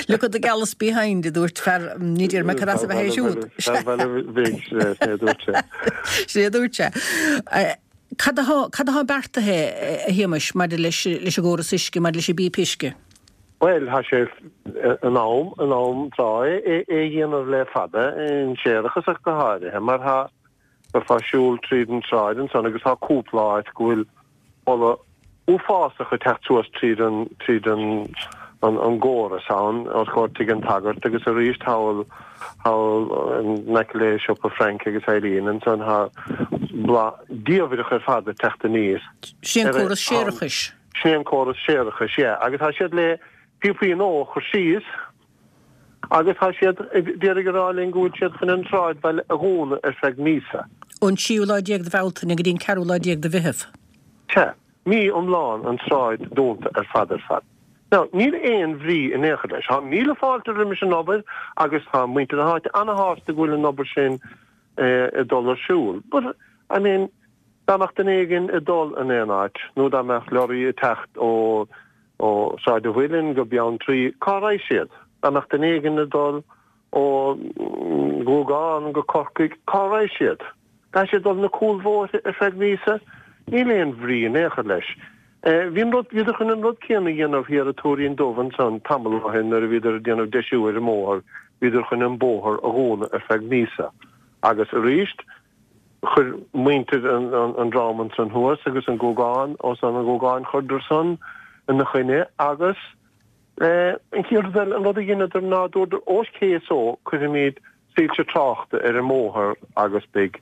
Look at the gallus behind, a dúirt fear, ní déarfaidh mé cad as a bheith é siúd. Fear Bhaile Bhig, sin é a dúirt sé. Sin é a dúirt sé. Cad atá, cad atá beartaithe, a Shéamais, maidir leis, leis an gcóras uisce, maidir leis an bpíopa uisce? Bhuel, tá sé in am, in am tráth é a dhéanamh le fada, an séarachas ach go háirithe, mar tá, Bheifeá ag siúl tríd an tsráid ansan agus tá cúpla áit go bhfuil boladh uafásach ag teacht suas tríd an, tríd an, an gcóras ann, os comhair Tigh an tSagairt agus arís thall, thall in aice le siopa Frank agus Eileen ansan tá boladh diamhrach ar fad ag teacht aníos. Sin é an córas séarachais. Sin é an córas séarachais, yeah. Agus tá siad le píopaí nua a chur síos. Agus tá siad ag d'iarraidh a rá linn go bhfuil siad chun an sráidbhaile a dhúnadh ar feadh míosa. Ón tríú lá déag de Bhealtaine go dtí an ceathrú lá déag de Mheitheamh. Sea, mí iomlán an tsráid dúnta ar fad ar fad. Now, níl aon bhrí in aon chor leis. Tá míle fáilte roimis an obair agus tá muintir na háite ana-shásta go bhfuil an obair sin ag dul ar siúl. But, I mean, dá mbeadh duine éigin ag dul in aon áit nó dá mbeadh lorry ag teacht ó Ó Sráid an Mhuilinn go Beanntraí, cá raghaidh siad? Dá mbeadh duine éigin ag dul ó Ghúgán go Corcaigh, cá raghaidh siad? Caithfidh siad dul na cúlbhóithre ar feadh míosa? Níl aon bhrí in aon chor leis. Bhí an rud, bhíodar chun an rud céanna a dhéanamh thiar i Tuairín Dubh ansan tamall ó shin nuair a bhíodar ag déanamh deisiú ar an mbóthar, bhíodar chun an bóthar a dhúnadh ar feadh míosa. Agus arís, Chuir muintir an dream ansan thuas agus an Gúgán, os an Ghúgáin, chuireadar san ina choinne agus an chéad rud eile, an rud a dheineadar ná dúradar ok so cuirfimid soilse tráchta ar an mbóthar agus beidh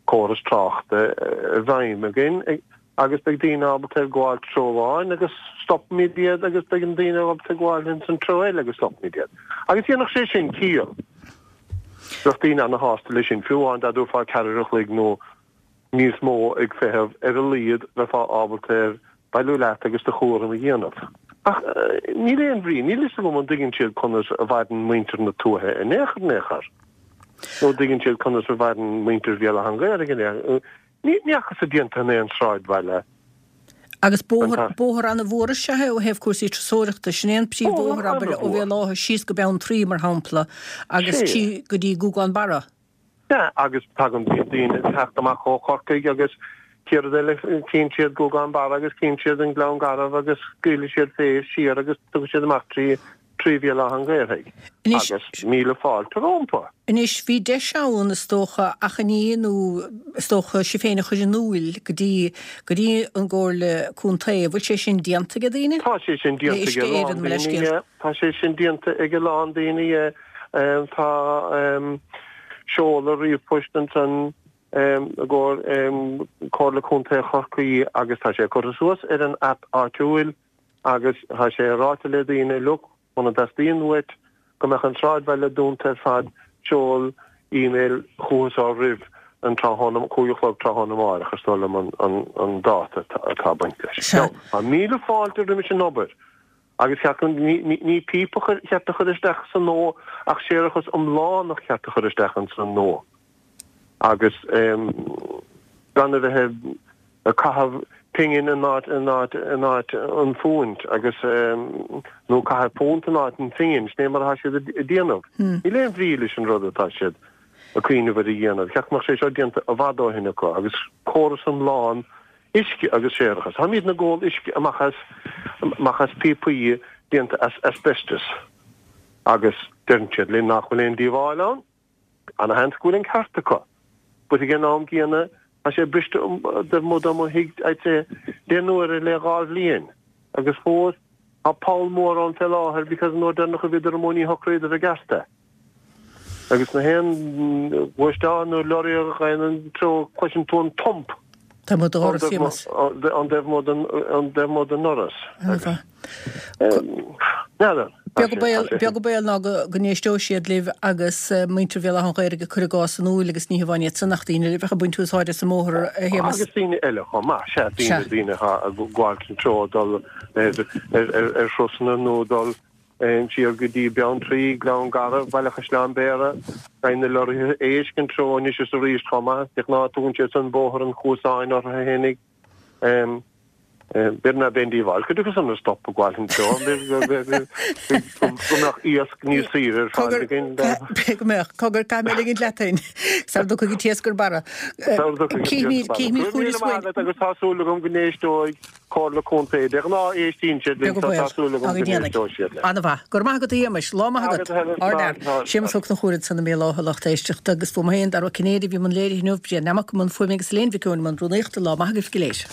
córas tráchta i bhfeidhm againn agus beidh daoine ábalta ar gabháil treo amháin agus stopfaimid iad agus beidh an daoine ábalta gabháil ins an treo eile agus stopfaimid iad. Agus dhéanfadh sé sin ciall. Bheadh daoine ana-shásta leis sin, fiú amháin dá dtabharfá ceathrar a chloig nó níos mó ag feitheamh, ar a laghad bheifeá ábalta ar bailiú leat agus do chúram a dhéanamh. Ach níl aon bhrí, níl fhios agam an dtuigeann siad conas a mhaireann muintir na tuaithe in aon chor in aon chor. Nó an dtuigeann siad conas a mhaireann muintir Bhéal Átha an Ghaorthaidh in aon chor. Ní fhacthas déanta in aon sráidbhaile. Agus bóthar, bóthar ana-mhór is ea é ó thaobh cúrsaí turasóireachta. Sin é an príomhbhóthar, abair, ó Bhéal Átha síos go Beanntraí, mar shampla, agus trí go dtí Gúgán Barra. Sea, agus tagann, bíonn daoine ag teacht amach ó Chorcaigh agus cén rud eile, cíonn siad Gúgán Barra agus cíonn siad an Gleann Garbh agus scaoilfidh siad fé siar agus tiocfaidh siad amach trí 3 Bhéal Átha an Ghaorthaidh agus míle fáilte rómpa. Anois, bhí deis ann, is dócha, achainí nó is dócha sibh féin a chur in iúil go dtí, go dtí an gComhairle Contae. An bhfuil sé sin déanta ag daoine? Tá sé sin déanta ag a lán daoine, yeah. Tá sé sin déanta ag a lán daoine, yeah. Tá seoladh ríomhphoist ansan i gcomhair Comhairle Contae Chorcaí agus tá sé curtha suas ar an aip áitiúil. Agus tá sé ráite le daoine, look, muna dteastaíonn uait go mbeadh an sráidbhaile dúnta ar fad, seol email chucu so roimh an tráthnóna, 5 a chlog tráthnóna amárach, is dóigh liom an dáta atá ag baint leis. Now, tá míle fáilte roimis an obair agus cheart go, ní píopa ba cheart a chur isteach sa nua ach séarachas iomlán ba cheart a chur isteach insan nua agus gan a bheith ag caitheamh pingin in áit in áit in áit an phúint agus nó caitheamh punt in áit an phingin, sin é mar atá siad ag déanamh. Níl aon bhrí leis an rud atá siad ag cuimhneamh ar a dhéanamh. Cheart go mbeadh sé seo déanta i bhfad ó shin acu agus córas iomlán uisce agus séarachas. Táimidne ag ól uisce amach as amach as píopaí déanta as asbestos agus deireann siad linn nach bhfuil aon díobháil ann. Ana-sheans go bhfuil an ceart acu. But ag an am gcéanna, tá sé briste taobh amuigh de mo thigh, I'd say, deich n-uaire le dhá bhliain. Agus fós, tá poll mór ann fé láthair because an uair deireanach a bhíodar amuigh ní shocraíodar i gceart é. Agus na haon ghluaisteán nó lorry a ghabhann an treo cloiseann tú an thump. Taobh amuigh do dhoras, Séamus. An taobh amuigh den, an taobh amuigh den ndoras. Ana-mhaith. N'fheadar. Beag an baol, beag an baol ná go n-éisteoidh siad libh agus muintir Bhéal Átha an Ghaorthaidh ag cur a gcás in iúil agus ní hamháin iad san ach daoine eile a bheadh ag baint úsáide as an mbóthar, a Shéamais. Agus daoine eile chomh maith, sea, daoine, daoine atá ag gabháil an treo dul ar, ar, ar, ar thurasanna nó dul siar go dtí Beanntraí, Gleann Garbh, Baile Chaisleáin Bhéarra, Beidh na lorraithe éisc an treo anois is arís chomh maith, de ghnáth tugann siad san Bóthar an Chuasáin orthu fhéinig. B'fhéidir ná beidh aon díobháil cuid acu san a stop ag gabháil anseo, go mbeadh iasc níos saoire ar fáil againn. B'fhéidir go mbeadh. Cogar, caithfidh mé ligint leat féin. Sara dtiocfaidh an t-iasc ar barra. Sara dtiocfaidh an t-iasc ar barra. Cífimid chugainn is uainn. Agus tá súil agam go n-éisteoidh Comhairle Contae. De ghnáth éistíonn siad linn, so tá súil agam go n-éisteoidh siad linn. An-mhaith. Go raibh maith agat a Shéamais. Lá maith agat. Ardfhear. Séamas Ó Conchúir ansan i mBéal Átha, lucht éisteachta, agus fúm féin, Dara Ó Cinnéide, a bhí i mbun léirithe inniu, Brian Nammock i mbun fuaime agus Elaine Mhic Eoin i mbun rúnaíochta. Lá maith agaibh go léir.